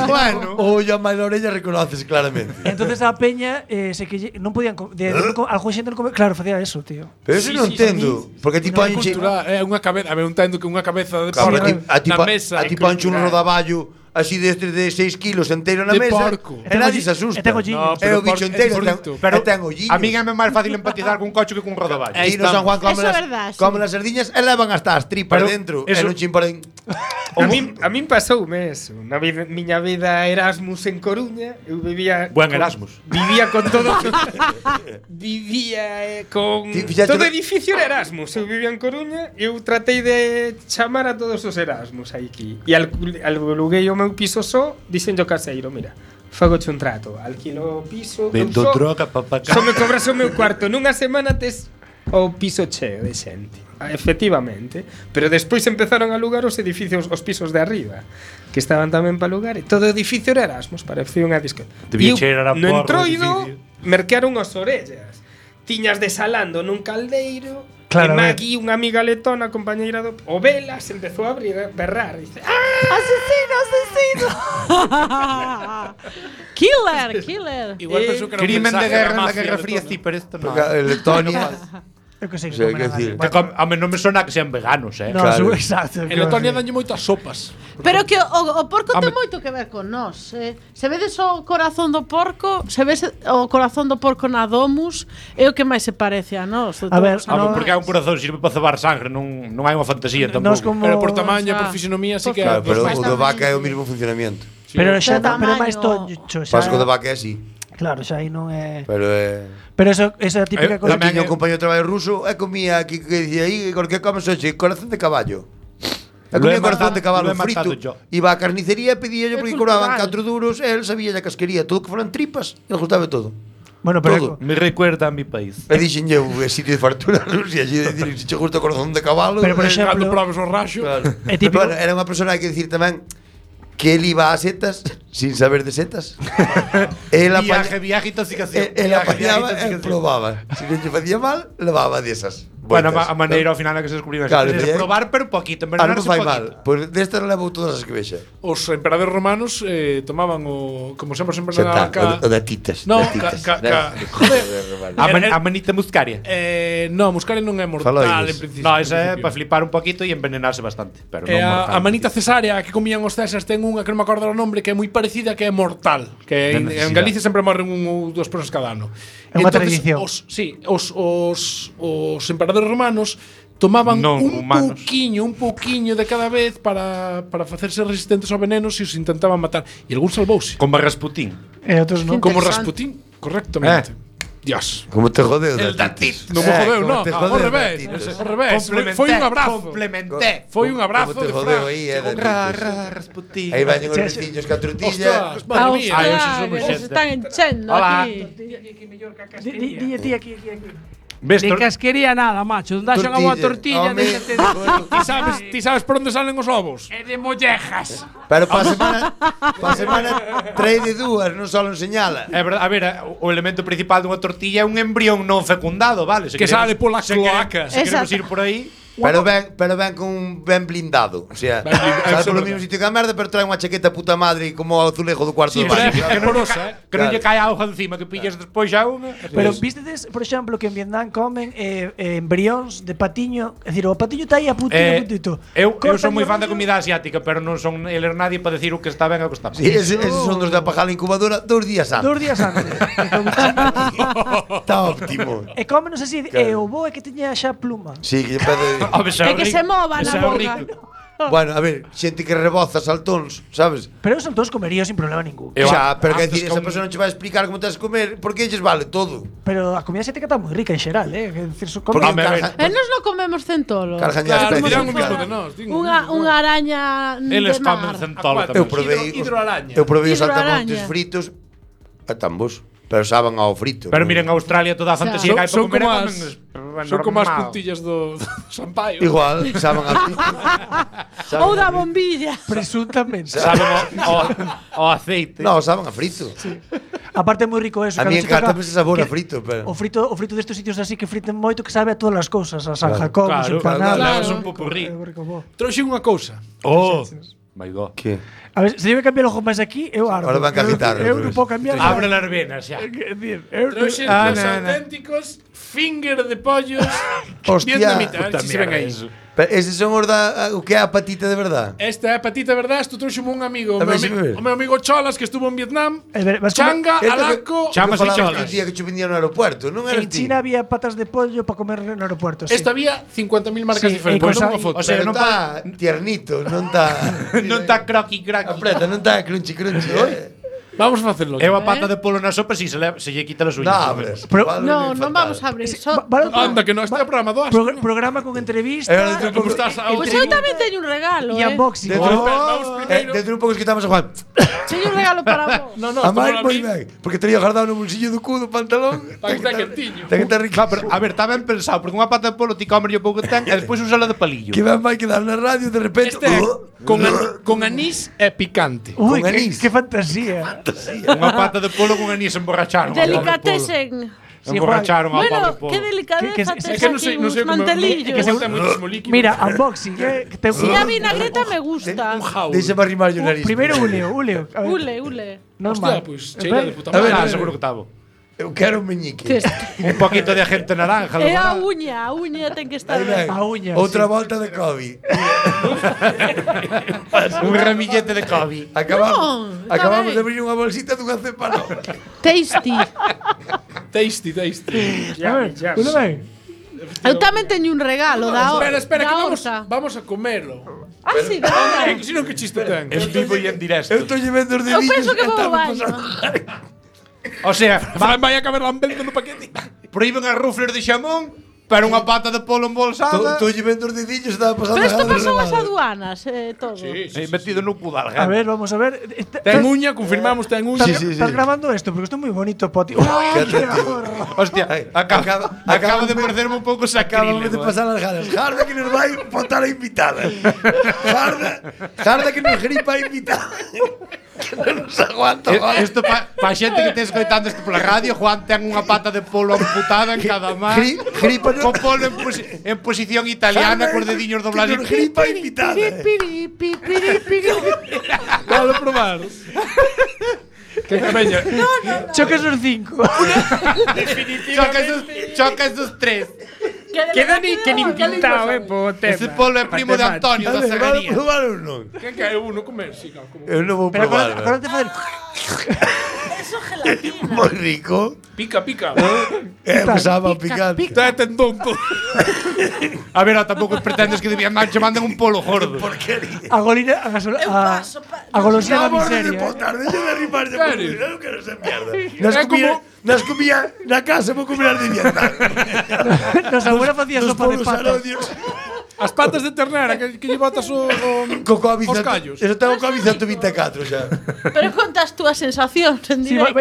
Bueno, O ollo a máis da orella reconoces claramente. Entonces a peña se que non podían algún xente non comer, claro, facía eso, tío. Pero eso non entendo, porque ti ponche É unha cabeza, a ver, entendo que unha cabeza de Claro, porco na mesa. a ti ponche un rodaballo así destes de 6 kilos enteiro na De mesa porco. e nadie se asusta. E ten olliños. É o bicho enteiro, frito. pero ten a olliños. mí é máis fácil empatizar cun cocho que cun rodaballo. Aí no San Juan Eso é verdad, sí. como las sardiñas e levan hasta as tripas Pero dentro e eso- non chimporen. A min pasoume eso. Na miña vida Erasmus en Coruña, eu vivía Buen Erasmus. Vivía con todo con Ti fixaste todo no- edificio era Erasmus. Eu vivía en Coruña e eu tratei de chamar a todos os Erasmus aquí. E aluguei o meu piso só, dixenlle ao caseiro, mira, fagoche un trato, alquilo o piso, Vendo eu só- droga, papá. Só me cobras o meu cuarto. Nunha semana tes o piso cheo de xente. Efectivamente. Pero despois empezaron a alugar os edificios, os pisos de arriba, que estaban tamén para alugar. E todo o edificio era Erasmus, parecía unha disco. Debía E eu, cheirar a no porro o entroido, edificio. merquearon as orellas. Tiñas desalando nun caldeiro. Claro, e a ver. Magui, unha amiga letona, compañeira do o Velas, empezou a abrir, a berrar. Dice, ¡Asesino, asesino! ¡Killer, killer! Igual pensou que era un Crimen de mensaje guerra da na mafia Guerra Fría, letona. sí, pero isto non. Porque Letonia Eu que sei O sea, que quer comen decir, A mí non me sona que sean veganos, No, Claro. exacto. En Letonia danlle moitas sopas. Pero que o porco ten Home. moito que ver con nós. Se vedes o corazón do porco, se ves o corazón do porco na domus, é o que máis se parece a nós. A ver, no, porque é un corazón sirve para cebar sangre, non hai unha fantasía Nós tampouco. como Pero por tamaño e Ah. por fisionomía sí que Claro, pero Pues o do tamén. vaca é o mesmo funcionamento. Pero xa Pero pero é máis tamaño. tocho, xa. Pasco do vaca é así. Claro, xa aí non é. Pero é... Pero esa típica cosa. Tamén tiña un compañero de traballo ruso e comía aquí que dicía aí, ¿con que comes hoxe? Corazón de caballo. E comía corazón de cabalo lo he matado frito. yo. Iba á carnicería e pedía yo É porque cobraban cultural. 4 duros e él sabía ya que as quería. Todo que foran tripas, ele gustaba todo. Bueno, Todo. pero Me recuerda a mi país. E dixen eu, é sitio de fartura Rusia, e dicir, se che gusta o corazón de cabalo. Pero, por Cando exemplo, probes o raxo. Claro. É típico- Bueno, era unha persona, hai que dicir tamén, que él iba a setas sin saber de setas. Él Viaje, intoxicación. Él apañaba e probaba. Se non lle facía mal, levaba desas. Bueno, Vueltas. a maneira ao final é que se descubriu Claro, es pero- probar, pero poquito, Ah, non envenenarse fai mal. poquito. Pois destas levou todas as que vexa. Os emperadores romanos tomaban o como sempre Xa está, o da titas. No, da titas. joder. A manita muscaria. No, muscaria non é mortal Faloides. en principio. No, esa é en para principio. flipar un poquito e envenenarse bastante, pero non A mortal. manita cesárea que comían os césars ten unha que non me acordo o nombre que é moi parecida que é mortal, que De en necesidade. Galicia sempre morren un ou dúas persoas cada ano. É unha Entonces, tradición. os emperadores romanos tomaban Non un humanos. pouquiño de cada vez para facerse resistentes ao veneno se os intentaban matar. E algún salvouse. Como Rasputín. E outros non. Como Interesante. Rasputín, correctamente. Dios. Como te jodeu El da da titas. Non me jodeu, como no. te Ao jodeu revés. da titas. Ao revés. Foi un abrazo. Complementé. Foi un abrazo Como te de jodeu Fran. aí, da Ra, titas. ra, Rasputín. Aí veñen os Sí, sí. veciños ca tortilla. Ostras, madre mía. Ai, hoxe Ostras, somos que se xente. están enchendo Hola. aquí. Dille ti aquí. Ves, Ni casquería nada, macho. Non daxo unha boa tortilla, Home. déxate. Ti sabes por onde salen os ovos? É de mollejas. Pero para semana trae de dúas, non só enseñala. É verdade, a ver, o elemento principal dunha tortilla é un embrión non fecundado, vale? Se Que sale pola se quere- cloaca. Se queremos Exacto. ir por aí, Pero ben con un ben blindado. O sea, Ben blindado, sale eso é polo verdade. mesmo sitio que a merda, pero trae unha chaqueta puta madre como o azulejo do cuarto Sí, do pero baño. é porosa, que non lle cae auga encima, que pillas despois xa unha. Pero vistedes, por exemplo, que en Vietnam comen embrións de patiño, é dicir, o patiño está aí a putito. Eu son moi fan da comida asiática, pero non son eles nadie para decir o que está ben e o que está mal. Sí, eses son dos de apagar a incubadora 2 días antes. 2 días antes. Está óptimo. E cómenos así, e o bo é que teña xa pluma. Sí, que pede... Home, xa É que rico. se mova na Xa boca. rico. Bueno, a ver, xente que reboza saltóns, sabes? Pero esos todos comeríos sin problema ningún. Eu Xa, pero que antes decir, esa con- persona non che vai explicar como tens que comer, porque ellos vale todo. Pero a comida asiática está moi rica en xeral, Que decir, Porque Home, a ver. E nos non comemos centolo. Cargan ya Claro, especies. dirán o mismo de nós. Unha araña Eles de comen mar. centolo Eu tamén. provei Hidroaraña. Eu provei os Hidroaraña. saltamontes fritos a tambos, pero saben ao frito. Pero non? miren, a Australia toda a fantasía que hai para Son comer como e as comen son como as normal. puntillas do Sampaio. Igual, saben a Ou da bombilla. Presuntamente. Saben o aceite. No, saben a frito. Aparte é moi rico eso. A mí cando che toca encanta ese sabor a que- frito, pero... O frito destes sitios así que friten moito que sabe a todas as cousas, a San Jacobo, Claro, empanadas. claro, é un popurrí. Trouxe unha cousa. Oh, my god. Que? A ver, se debe cambiar o ojo máis aquí, eu ardo. Ahora van a quitar, Eu outra non vez. podo cambiar. Abre las venas xa. Trouxe Ah, os no, no. auténticos finger de pollos Hostia, vietnamitas. puta Si se ven mierda aí. eso. Pero eses son os da... O que é a patita de verdad? Esta é a patita, verdad? Isto trouxe un amigo, A ver, se me ve. o meu amigo Cholas, que estuvo en Vietnam. Vas Changa, Esto que- alaco. Chamas que e falabas cholas. un día que che vendían no aeropuerto, non eras En ti? China había patas de pollo para comer no aeropuerto. Sí. Esta había 50.000 marcas Sí, diferentes. e Pois cosa- unha foto. O sea, Pero non está tiernito, non está... Non está croqui croqui. Apreta, non está crunchy crunchy, Vamos a facelo. Eu a pata de polo na sopa si se lle quita as Non uñas. abres. Pero- No, non vamos a abrir. Anda, que non está o programa do Astro. Programa con entrevista. Como estás Pois ahora? eu tamén teño un regalo, E unboxing. Dentro un pouco esquitamos a Juan. Teño un regalo para vos. No, no, A esto máis non moi vi. ben, porque tería guardado no bolsillo do cu do pantalón. Para que está quentiño. Ten que estar rico. Pero, a ver, está ben pensado, porque unha pata de polo ti comer o pouco que ten e despois usala de palillo. Que ben vai quedar na radio de repente. Este é con anís e picante. Uy, con anís. qué fantasía. Unha pata de polo con anís emborracharon. Delicatessen. Emborracharon ao pobre Bueno, polo. qué delicadeza que- tes É que non aquí sei, non sei uns como mantelillos. que se gusta moitísimo líquido. Mira, unboxing, que te Si a vinagreta me gusta. un jaul. Deixa para arrimar o nariz. Primero uleo. A ver, Ule, ule. normal. Hostia, pues cheira de puta A ver, madre. Ah, seguro que estaba. Eu quero un meñique. Un poquito de agente naranja. É a uña ten que estar ben. A uña. Outra volta de COVID. Un ramillete de COVID. Acabamos de abrir unha bolsita dunha cepa nova. Tasty. Tasty. Tudo ben? Eu tamén teño un regalo da Espera, que horta. vamos a comelo. Ah, sí, de verdade. Que si non que chiste ten. En vivo e en directo. Eu estou llevando os Eu dedillos penso que vou ao estamos baño. pasando. O sea, Vai a caber lambendo no paquete. proíben as rufles de xamón, pero unha pata de polo embolsada. Estou llevando os dedillos, estaba pasando. Pero isto a pasou as relevada. aduanas, todo. Metido no cu da A ver, vamos a ver. Ten uña, confirmamos, ten uña. Estás grabando esto porque isto é moi bonito, Poti. Hostia, acaba de parecerme un pouco Acabamos de sacrílego. pasar as ganas. Jarda que nos vai botar a invitada. Jarda que nos gripa a invitada. Que non nos aguanta. Isto pa xente que te escoitando isto pola radio, Juan ten unha pata de polo amputada en cada man. Gripa Con polo en posición italiana, cos dediños doblados. Gripa a invitada. Vale probar. Que veña. Choques os 5. Chocas dos tres. Queda ni que nin pintado, po tema. Ese polo é primo de Antonio da Vale, Sagaría. probar ou non? Que é uno comer? Sí, claro, como. Eu non vou Pero probar. agora te facer. Eso gelatina. Moi rico. Pica. Pasaba picante. Ten tonto. A ver, tampouco pretendes que debían che manden un polo gordo. A golina, a golosina da de miseria. botar, deixa de arrimarse. Serio? Eu non quero esa mierda. Nas comía na casa, vou comer as de Vietnam. Nos abuela facía Dos sopa de polos patas. arodios. As patas de ternera que lle botas o Co COVID. os callos. Eso tengo COVID 124 xa. Pero contas túas sensacións en Sí, directo.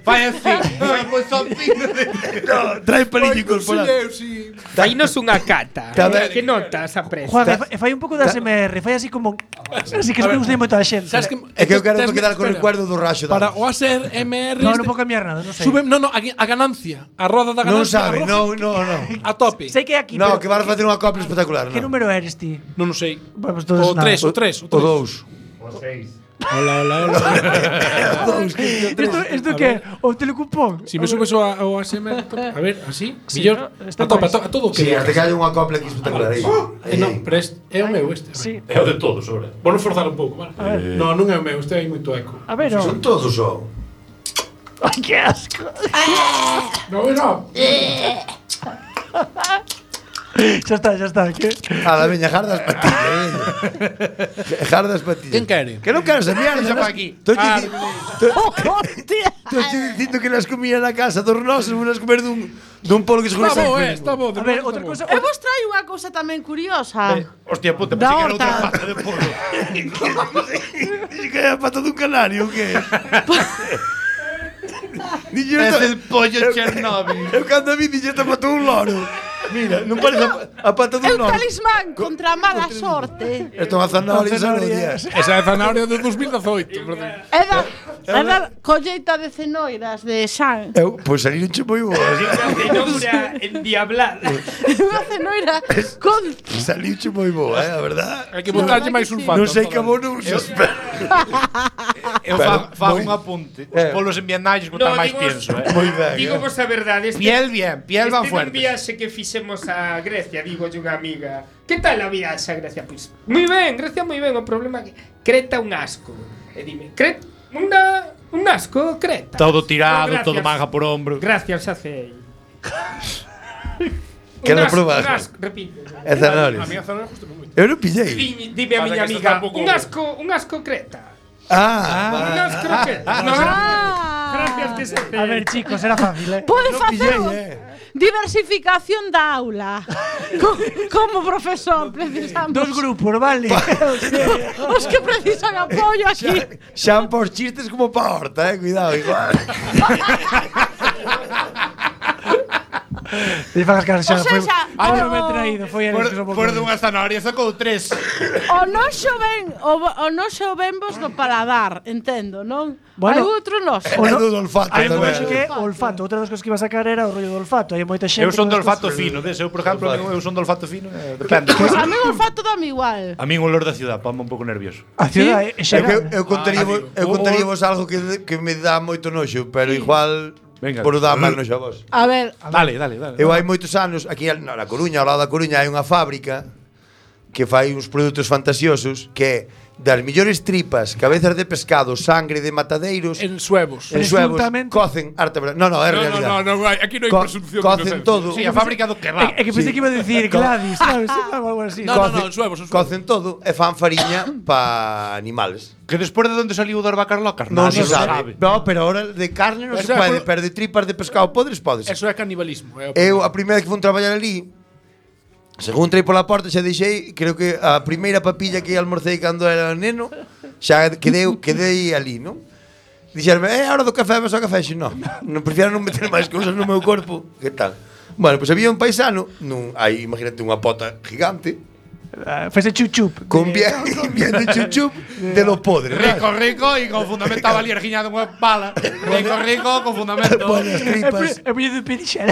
Vai así. Pois son No, trae pelillo incorporado. Fainos unha cata. Tamén. Que notas aprecia? Juan, e fai un pouco de ASMR, fai así como así que me gusta moito a xente. Sabes que É que eu quero quedar con o recuerdo do raxo. para o ASMR No, non vou cambiar nada, non sei. sube, no, a ganancia, a roda da Non ganancia. sabe, a roda- no. A tope. Sei que é aquí, No, pero que vas a facer unha copla espectacular. que número eres ti? Non o sei. Vamos todos O nada. 3, o 3, O 2. Hola. Isto que é? O telecupón? Si me subes ao ASMR, a ver, así, Sí, millor. no, está A tope, máis. a todo o Sí, que. hasta que hai unha copla aquí espectacular aí. Non, pero é o meu este. Sí. É o de todos, sobre. Vou forzar un pouco, vale? No, non é o meu, este hai moito eco. A ver, Son todos só. Ai, que asco. No. Xa está, que? A la veña, jardas patillas. Jardas patillas. Quen quere? Que non quero esa mierda. Xa ¿no? pa aquí. Estoy dicindo que las comía na casa dos nosos, unas comer dun polo que se Está bo, juega. está bo. A ver, outra cousa. Eu vos traio unha cousa tamén curiosa. Hostia puta, Da pensei que era outra horta. pata de polo. Dice que é a pata dun canario, o que? Es el pollo Chernobyl. Eu cando vi dixo esta pata un loro. Mira, non parece a pata É dun un loro. talismán contra a mala sorte. Isto é unha zanahoria odias. Esa é a zanahoria de 2018, perdón. É da colleita de cenoiras de San. Eu, pois saliron che moi boas. Cenoura endiablada. Unha cenoira con Saliu che moi boa, a verdad. Hai que botarlle máis sulfato. Non sei que abono usas, pero Eu fago un apunte. Os polos en Vietnam escutan máis pienso, moi ben. Digo vos a verdade, Piel este va nun fuerte. viaxe que fixemos a Grecia, digo unha amiga. Que tal a viaxe a Grecia? Pois, moi ben, Grecia moi ben. O problema é que Creta un asco. E dime, Creta, un asco, Creta. Todo tirado, Gracias. todo manga por hombro. Gracias, hacei. Quero probar. Un asco, repito. É zanahoria. A miña zanahoria justo moi. Eu non pillei. Dime a Pasa miña que isto amiga, tampouco- un asco Creta. Un Ah, asco Creta. No, gracias que se A ver, chicos, era fácil, Pode non facer pillei, diversificación da aula. Como profesor precisamos. Dos grupos, vale. Os que precisan apoio aquí. Xan por chistes como pa horta, cuidado, igual. E fan as caras xa. O sea, xa, Ai, non me he traído, foi a que Por dunha zanahoria sacou 3. o noxo ven vos no paladar, entendo, non? Bueno, hai outro noxo. É do olfato Hai un tamén. noxo que é o olfato. Outra das cousas que iba a sacar era o rollo do olfato. Hai moita xente. Eu son que do olfato fino, eu, por exemplo, eu son do olfato fino, depende. Pois a mí o olfato dame igual. A min o olor da ciudad, ponme un pouco nervioso. A ciudad é xeral. Eu contaríamos algo que me dá moito noxo, pero igual Venga. por dar máis noxo a vos. A ver, Dale. Eu hai moitos anos, aquí na Coruña, ao lado da Coruña, hai unha fábrica que fai uns produtos fantasiosos que é das millores tripas, cabezas de pescado, sangre de matadeiros, En suevos. en suevos, Presuntamente. cocen arte. No, é realidad. No, aquí non hai presunción. Cocen todo. Sí, a fábrica do kebab. É que pensei que iba a decir Gladys, sabes? Algo así. No, en suevos. Cocen todo e fan fariña para animales. Que despois de onde saliu o das vacas locas, Non nadie se lo sabe. No, pero ahora de carne non se Eso é pode, por- pero de tripas de pescado podes. Eso é canibalismo. Eu, a primeira vez que fui traballar ali, según entrei pola porta, xa deixei, creo que a primeira papilla que almorcei cando era neno, xa quedei ali, non? Dixerme, a hora do café, vas ao café? Xe, non, prefiero non meter máis cousas no meu corpo. Que tal? Bueno, pois había un paisano, aí imagínate unha pota gigante, Fese chup-chup. con bien de chup-chup de lo podre. Rico y con fundamento estaba liergiñado unha pala. Rico con fundamento. Buenas tripas. É moi de perixera.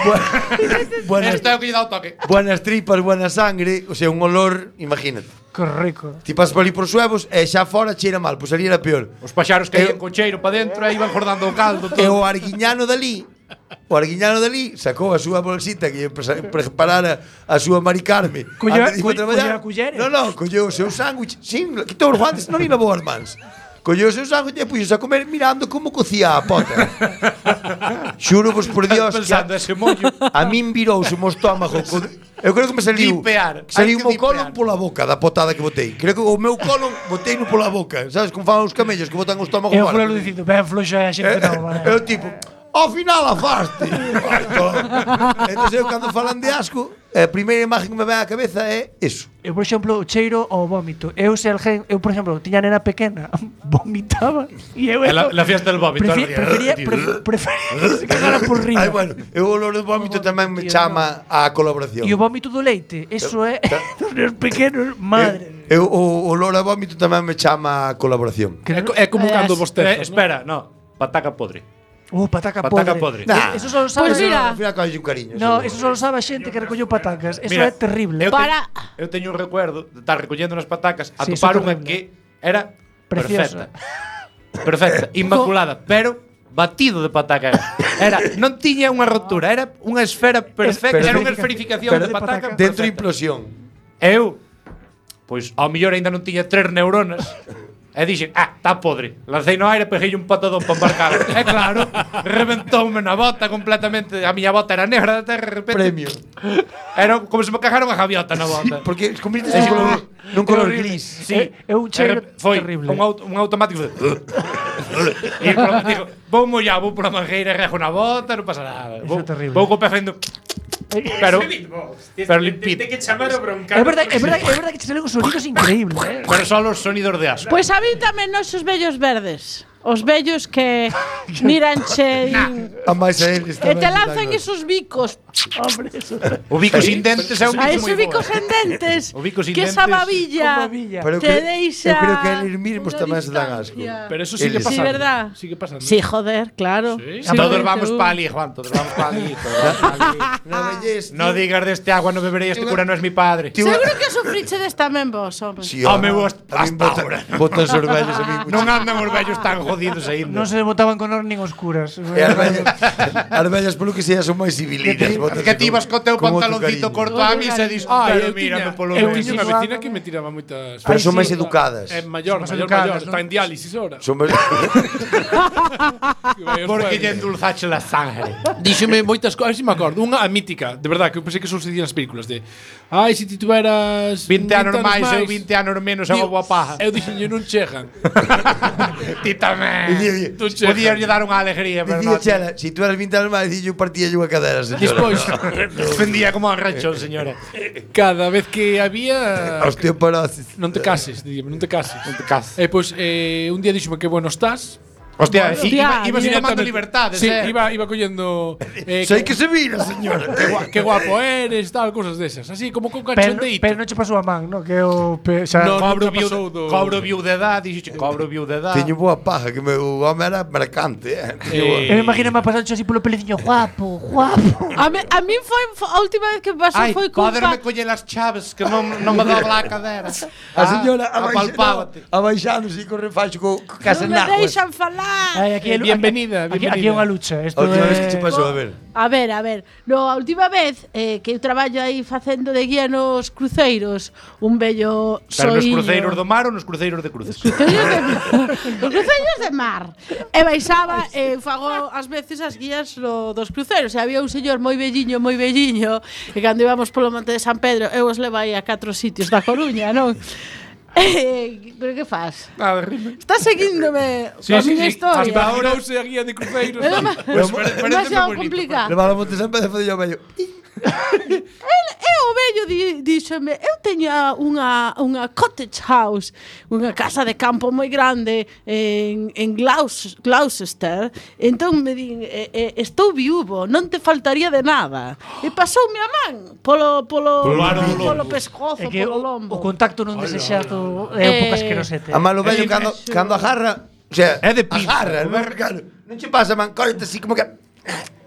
Buenas, Este é o que lle dá o toque. buenas tripas, buena sangre, o sea, un olor, imagínate. Correcto. Ti pasas por ali por suevos e xa fora cheira mal, pois ali era peor. Os paxaros que iban con cheiro para dentro e iban jordando o caldo E todo. o arguiñano dali sacou a súa bolsita que lle preparara a súa Mari Carme. Antes de ir a traballar. Colleu a cullera? Non, colleu o seu sándwich, sin, quitou os guantes, non ni lavou as mans. Colleu o seu sándwich e puxos a comer mirando como cocía a pota. Xuro vos por Dios Pensando ese mollo. a min virouse o meu estómago. Eu creo que me saliu Dipear, saliu hai o que meu colon dipear. pola boca da potada que botei. Creo que o meu colon botei no pola boca. Sabes como fan os camellos que botan o estómago Eu fora? fulano dicindo, ben floxa a xente non, vale. Eu tipo, ao final afaste. Entón eu cando falan de asco, a primeira imagen que me ven á cabeza é eso. Eu, por exemplo, o cheiro ao vómito. Eu se alguén, eu, por exemplo, tiña nena pequena, vomitaba e eu La fiesta del vómito. prefería que se cagara por riba. Ai, bueno, eu o olor do vómito tamén me chama á colaboración. E o vómito do leite, eso é dos nenos pequenos, madre. Eu o olor a vómito tamén me chama á colaboración. É como cando bostezas. Espera, no. Pataca podre. Pataca Pataca podre. podre. Nah, Eso só lo sabe. Pues mira. Ao final colle un cariño. No, eso só lo sabe a xente que recolleu patacas. Eso Mira, é terrible. Eu teño un recuerdo de estar recollendo nas patacas, Sí, atopar eso é unha terrible. que era Preciosa. perfecta, inmaculada, pero batido de pataca era. Non tiña unha rotura, era unha esfera perfecta, era unha esferificación de pataca. Dentro perfecta. implosión. Eu, pois, ao mellor aínda non tiña 3 neuronas. E dixen, está podre. Lancei no aire, peguei un patadón para embarcar. E claro, reventoume na bota completamente. A miña bota era negra de terra, de repente. Premio. Era como se me cagaron a gaviota na bota. Porque convirtes nun color gris. Sí, É un cheiro foi terrible. un automático de... E pronto, digo, vou mollar, vou pola mangueira, rego na bota, non pasa nada. Eso é terrible. Vou co pé facendo... Pero limpito. Tem que chamar o broncar. É verdade que te salen os sonidos increíbles, Pero só os sonidos de asco. Pois a mí tamén nos os vellos verdes. Os vellos que miranche A máis a eles e te tamén lanzan dan esos bicos. Hombre, eso. O bico sin dentes é un A bico ese moi bico bo. sen dentes. O bico sin que dentes. esa babilla Pero te deixa. eu creo que eles mismos unha tamén se dan asco. distancia. Pero eso sigue Eles. pasando. Sí, verdad. Sigue pasando. Sí, joder, claro. Sí. Todos vamos pa ali, Juan, todos vamos pa ali. Na vellez, No digas deste agua, no beberei, este cura non é mi padre. Seguro que sufriche des tamén vos, home. Sí, Home, vos a min hasta ahora. botan sorvellos a mí. Non andan os vellos tan jodidos Non aínda. se botaban con nin oscuras. E as vellas polo que sea son máis civilinas. Que ti vas co teu pantaloncito corto a misa e dis, pero Eu mírame polo eu menos. tiña unha vecina que me tiraba moitas. Pero son Ai, máis sí, educadas. É maior, Son maior, educadas, está en diálisis ahora. Son máis Porque lle endulzache la sangre. Díxome moitas cousas, si me acordo. Unha a mítica, de verdad, que eu pensei que só sucedía nas películas de ai, se ti tuveras 20 anos máis, eu 20 anos menos, é unha boa paja. Eu dixenlle non chegan. Ti tamén. Podías lle dar unha alegría, pero Dicía non. Chela, si tú eras 20 anos máis, dixo partía unha cadera, señora. Despois, Defendía como un rechón, señora. cada vez que había Osteoporosis. non te cases, dime, non te cases. Non te cases. E pois un día díxome que bueno estás. Hostia, Hostia, ibas directamente. tomando libertades, Sí, iba collendo Sei que se vira, señor. que guapo eres, tal, cosas desas. Así como con Pero, cachondeito. pero non che pasou a man, no? Que o xa No, Cobro nunca pasou do- viudedad, dixo, cobro viudedad. Teño boa paja, que o home era mercante, Eu me imagino me pasando así polo peleciño guapo, guapo. A mí foi a última vez que me pasou Ai, foi con poderme coller as chaves que non me dobla a cadera. A señora apalpábate. abaixándose co refacho co casa Non me naguas. deixan falar. Ai, aquí Bienvenida, aquí é bienvenida. unha lucha. Isto A última vez que é che pasou, a ver. A ver. No, a última vez que eu traballo aí facendo de guía nos cruceiros, un bello Pero nos soiño. cruceiros do mar ou nos cruceiros de cruces? Os cruceiros de mar. E baixaba e fago ás veces as guías dos cruceros. E había un señor moi velliño, e cando íbamos polo Monte de San Pedro, eu os levai a 4 sitios da Coruña, non? Pero que faz? Nada, rime. Estás seguíndome a miña historia. Hasta ahora use a guía de cruzeiros. É Parece demasiado moi bonito. complicado. Levar a Monte San Pedro e facer o vello. E o vello díxome, eu teña unha cottage house, unha casa de campo moi grande en Gloucester. Entón me din, estou viúvo, non te faltaría de nada. E pasoume a man polo pescozo, É que polo lombo. o contacto non desexado é un pouco asquerosete. A malo vello cando agarra, o sea, É de pinza. agarra, non che pasa, man, córrete así como que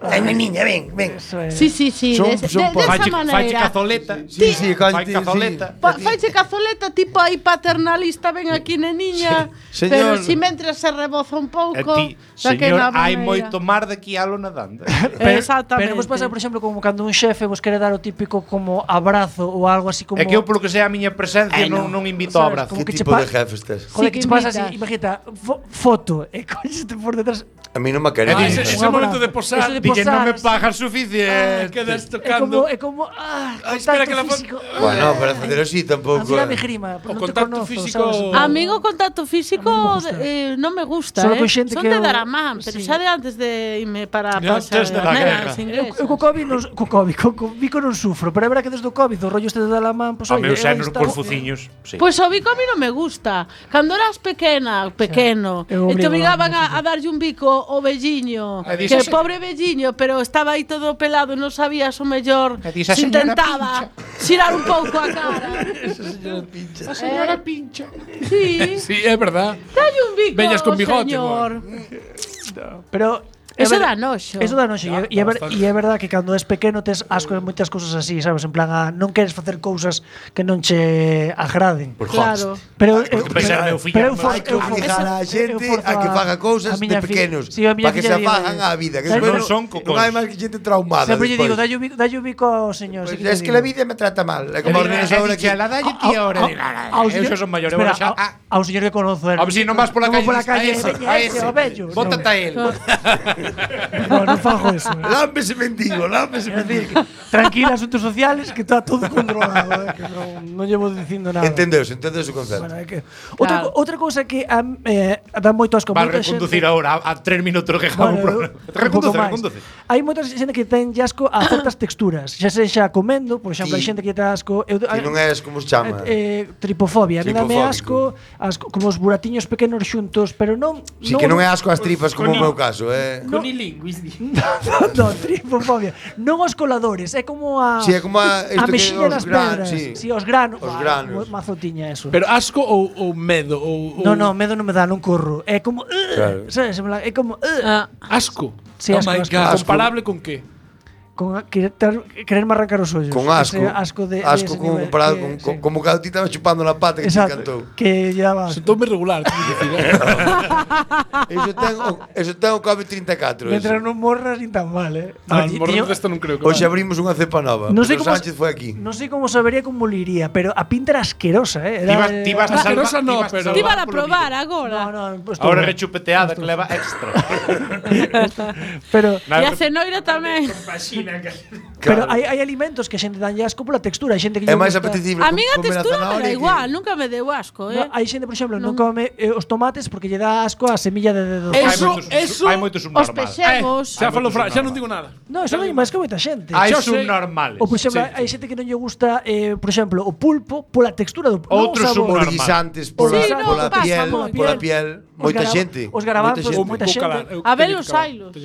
ai, niña, ven. Eso é. Sí, desa Faiche maneira. cazoleta. Sí, Fai cazoleta. Faiche cazoleta tipo aí paternalista, ven aquí neniña, Sí, pero señor. si mentres se reboza un E pouco, ti, señor, hai moito mar de aquí alo nadando. Exactamente. Pero vos pasa, por exemplo, como cando un xefe vos quere dar o típico como abrazo ou algo así como É que eu, polo que sea a miña presencia, non invito ao Sabes, abrazo. como Que que che tipo pa- de jefe estés? Joder, Sí, que che que pasa así, imitas. imagínate, foto, e coñeste por detrás. A mí non me quere. Ah, ese Un momento abrazo. de posar. Eso de Dille, non me posar, pagas suficiente. Quedas É tocando. como espera que la contacto físico. Bueno, para facer así A tampouco. mí dame grima, O non te contacto conozco, físico- sabes? Amigo, contacto físico non me gusta, Solo con xente Son que de eu- dar a man, pero sí. xa de antes de irme para De pasar antes de la guerra. Eu co COVID non, co Vico non sufro, pero é verdad que desde o COVID o rollo este de dar a man, pois A oye, meu eu xénero estaba- cos fuciños. Sí. Pois o bico a mí non me gusta. Cando eras pequeno, eu e te obrigo obrigaban a- a darlle un bico ao velliño, E dis, que "Ese- pobre velliño, pero estaba aí todo pelado e non sabías o mellor. E dis, "A Se señora intentaba xirar un pouco a cara. A señora pincha. Sí, Sí, é verdad. dalle un bico, Vellas con bigote, señor. Pero Eso dá noxo. Eso dá noxo. E é verdad que cando és pequeno tes asco de moitas cousas así, sabes? En plan, non queres facer cousas que non che agraden. Claro. Pero pensar meu fillo, pero eu non for- Hai que eu obligar forzo- a xente eu forzo a que faga cousas a de miña pequenos Sí, a miña para que filla se digo, fagan á vida, que Pero despois non son non cocós. hai máis que xente traumada. Sempre lle digo, despois. dalle o bico ao señor. Pues sí es que la vida me trata mal. É como os nenos ahora que la dalle ti ahora. Eu xa son maior, eu xa. Ao señor que conozo. A ver si non vas pola calle. A ese. Bótate a él. Non fago eso. lámbese mendigo, lámbese É dicir, mendigo. que tranquila, asuntos sociales, que está todo controlado, que non llevo dicindo nada. Entendeus o concepto. Bueno, é que Claro. outra cousa que dá moito asco Vas moita reconducir xente- agora a 3 minutos que acabo o programa. Reconduce. Hai moita xente que ten asco a certas texturas, xa sexa comendo, por exemplo, hai Sí. xente que ten asco, Que non és como se chama. tripofobia, a mí dame asco, Tripofóbico. como os buratiños pequenos xuntos, pero non Si que non é asco as tripas como o meu caso, Conilinguis. non, tripofobia. Non os coladores, é como a Si é como a isto que mexiña os das granos, pedras. sí. Si, os granos. Os granos. Mazo tiña eso. Pero asco ou medo ou No, medo non me dá, non corro. É como Claro. sabes, en plan, é como asco. Sí, Oh asco, my asco. God. Asco. Comparable con que? con quererme arrancar os ollos. con Ese asco. de Asco ese como nivel comparado que- sí. como que a ti estaba chupando la pata que te Exacto, encantou. que lle daba asco. Sentoume regular, teño que dicir. Eso ten o COVID-34. Mientras non morras nin tan mal, Ah, morrer desta non creo que Hoxe vale. abrimos unha cepa nova. Non sei Pedro como Sánchez foi aquí. Non sei como sabería como liría, pero a pinta era asquerosa, Era Ti vas a salvar. Asquerosa no, pero- Ti van a probar agora. No, pues tú Ahora no. rechupeteada que leva extra. Pero E a cenoira tamén. pero hai alimentos que a xente danlle asco pola textura, hai xente que É lle máis gusta- apetecible A mí a comer textura me zanahoria dá que- igual, nunca me deu asco, No, hai xente, por exemplo, non come os tomates porque lle dá asco a semilla de dedo. Eso, Hai moitos Os subnormais. pexegos. xa falou xa non digo nada. No, eso non é máis que moita xente. Hai Xa sei. subnormales. Ou, por exemplo, Sí. hai xente que non lle gusta, por exemplo, o pulpo pola textura do Outros non o sabor. subnormales. Os guisantes Sí, no, pola pasa piel, moito. pola piel, Moita xente. Os garabatos, moita xente. A ver os sailos.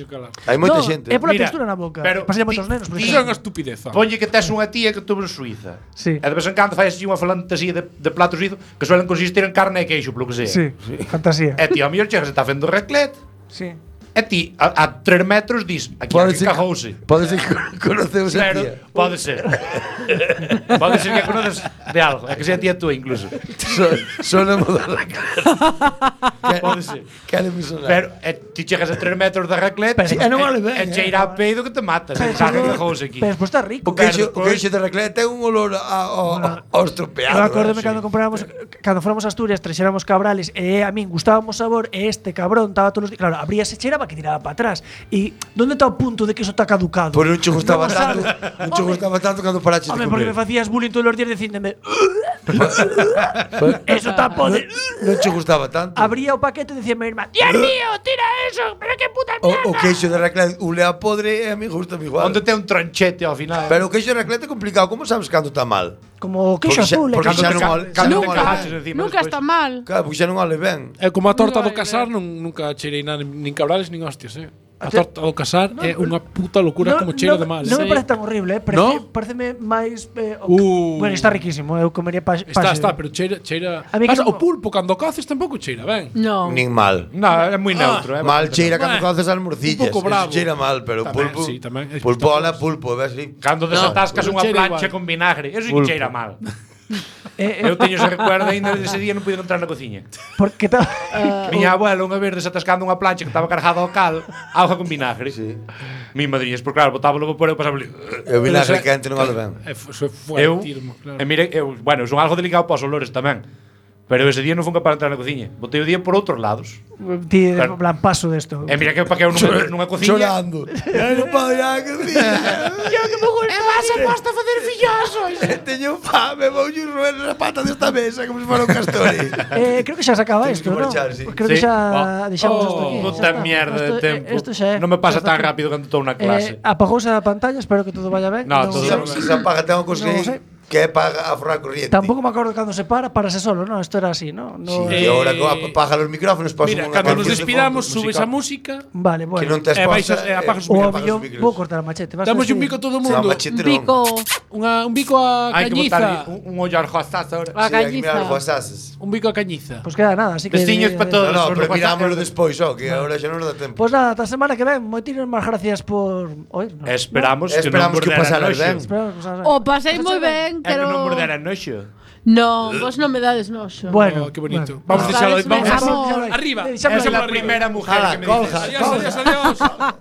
Hai moita No, xente. É pola Mira, textura na boca. pero Pasa moitos nenos, por Iso é exemplo. unha estupidez. Ponlle que tes unha tía que tuvo en Suiza. Sí. E de vez en cando fai así unha fantasía de plato suizo que suelen consistir en carne e queixo, polo que sea. Sí, fantasía. E ti, ao mellor chegas e está fendo raclette. Sí. E ti, a 3 metros, dis, aquí cagouse. Pode ser que conoceus a Pero, tía. pode ser. Pode ser que conoces de algo. É que sea tía túa, incluso. Sona mudar la cara. Pode ser. Cale me sonar. Pero ti chegas a 3 metros da raclette Pero, non vale ben, e cheira a peido que te matas. Saca que cagouse aquí. Pero despois está rico. O queixo de raclette ten un olor ao estropeado. Eu acórdome cando comprábamos, cando fóramos a Asturias, trexéramos cabrales e a min gustábamos sabor e este cabrón estaba todos os días, claro, abríase, cheiraba que tiraba para atrás. E onde está o punto de que iso está caducado? Por non che gustaba Non o tanto, sabes. non che gustaba tanto cando paraches de Home, porque me comer. facías bullying todos os días dicíndome eso está podre. Non che gustaba tanto. Abría o paquete e dicía mi irmán, Dios mío, tira eso, pero que puta mierda. O queixo de raclette ulea podre e a mí gusta igual. Onde ten un tranchete ao final. Pero o queixo de raclette é complicado. Como sabes cando está mal? Como queixo azul. Porque xa non ole. Cando non Nunca, ole. nunca está mal. Claro, porque xa non ole ben. É como a torta do Nunca casar, nunca cheirei nada, nin cabrales, nin hostias, A torta do casar é unha puta locura como cheira de mal. Non me parece tan horrible, pareceme máis bueno, está riquísimo, eu comería Está, pero cheira. A mí que O pulpo cando coces tampouco cheira ben. No. Nin mal. No, é moi neutro. Mal cheira cando coces as morcillas. Un pouco bravo. Eso cheira mal, pero Tamén, pulpo. sí, tamén. Pulpo ala pulpo, ves así. Cando desatascas pero unha cheira plancha igual. con vinagre, eso sí que cheira mal. Eu teño ese recuerdo aínda dese día non pude entrar na cociña. Porque está Miña abuela unha vez desatascando unha plancha que estaba cargada ao cal, auga con vinagre. Sí. Mi madriñas, por claro, botaba logo por eu pasaba ali. E o vinagre quente non ole ben. Eso é Eu, fuertismo, claro. e mire, bueno, son algo delicado para os olores tamén. Pero ese día non fun capaz de entrar na cociña. Botei o día por outros lados. ti Claro. en plan paso desto. E mira que para que eu nunha cociña. Chorando. Eu non podo ir á cociña. E vas a posta a facer fillosos. Teño fame, vou ir roer na pata desta mesa como se fora un castore. Creo que xa se acaba Tens isto, que ¿no? marchar, sí. Creo que Sí. xa deixamos isto aquí. Puta Xa está. mierda de Isto- tempo. Isto xa é. Non me pasa Isto tan está aquí. rápido cando estou na clase. Apagouse a pantalla, espero que todo vaya ben. No, todo Se se apaga, tengo que Non sei. que é para aforrar corriente. Tampouco me acordo cando se parase solo, ¿no? Esto era así, ¿no? Sí, e agora apaga os micrófonos, paso Mira, unha cando nos canción de despidamos, fondo subes musical. a música. Vale, Que bueno. non te baixas esposa. e apagas os O a micrófonos. millón vou cortar a machete. vas Damos así. un bico a todo o Se mundo. llama machete, non. Bico. Un bico a Hai que botar cañiza. un ollar jostazo ahora. A Sí, hai que mirar cañiza. os WhatsApps. Un bico a cañiza. Pues queda nada, así que Veciños para todos. No, os pero do mirámoslo WhatsApp. despois, que agora xa non nos dá tempo. Pues nada, esta semana que ven, moitísimas máis gracias por oírnos. Esperamos que non Esperamos que morderan pasaras noxo. ben. Esperamos que os hagan. O pasei moi ben, É que non pero morderan noxo. No, vos non me dades noxo. Bueno, Oh, qué bonito. bueno. Vamos a deixalo Dales vamos amor. arriba. Deixámoslo Esa é a arriba. primeira mujer Ala, que me colja. dices. Adiós, adiós, adiós.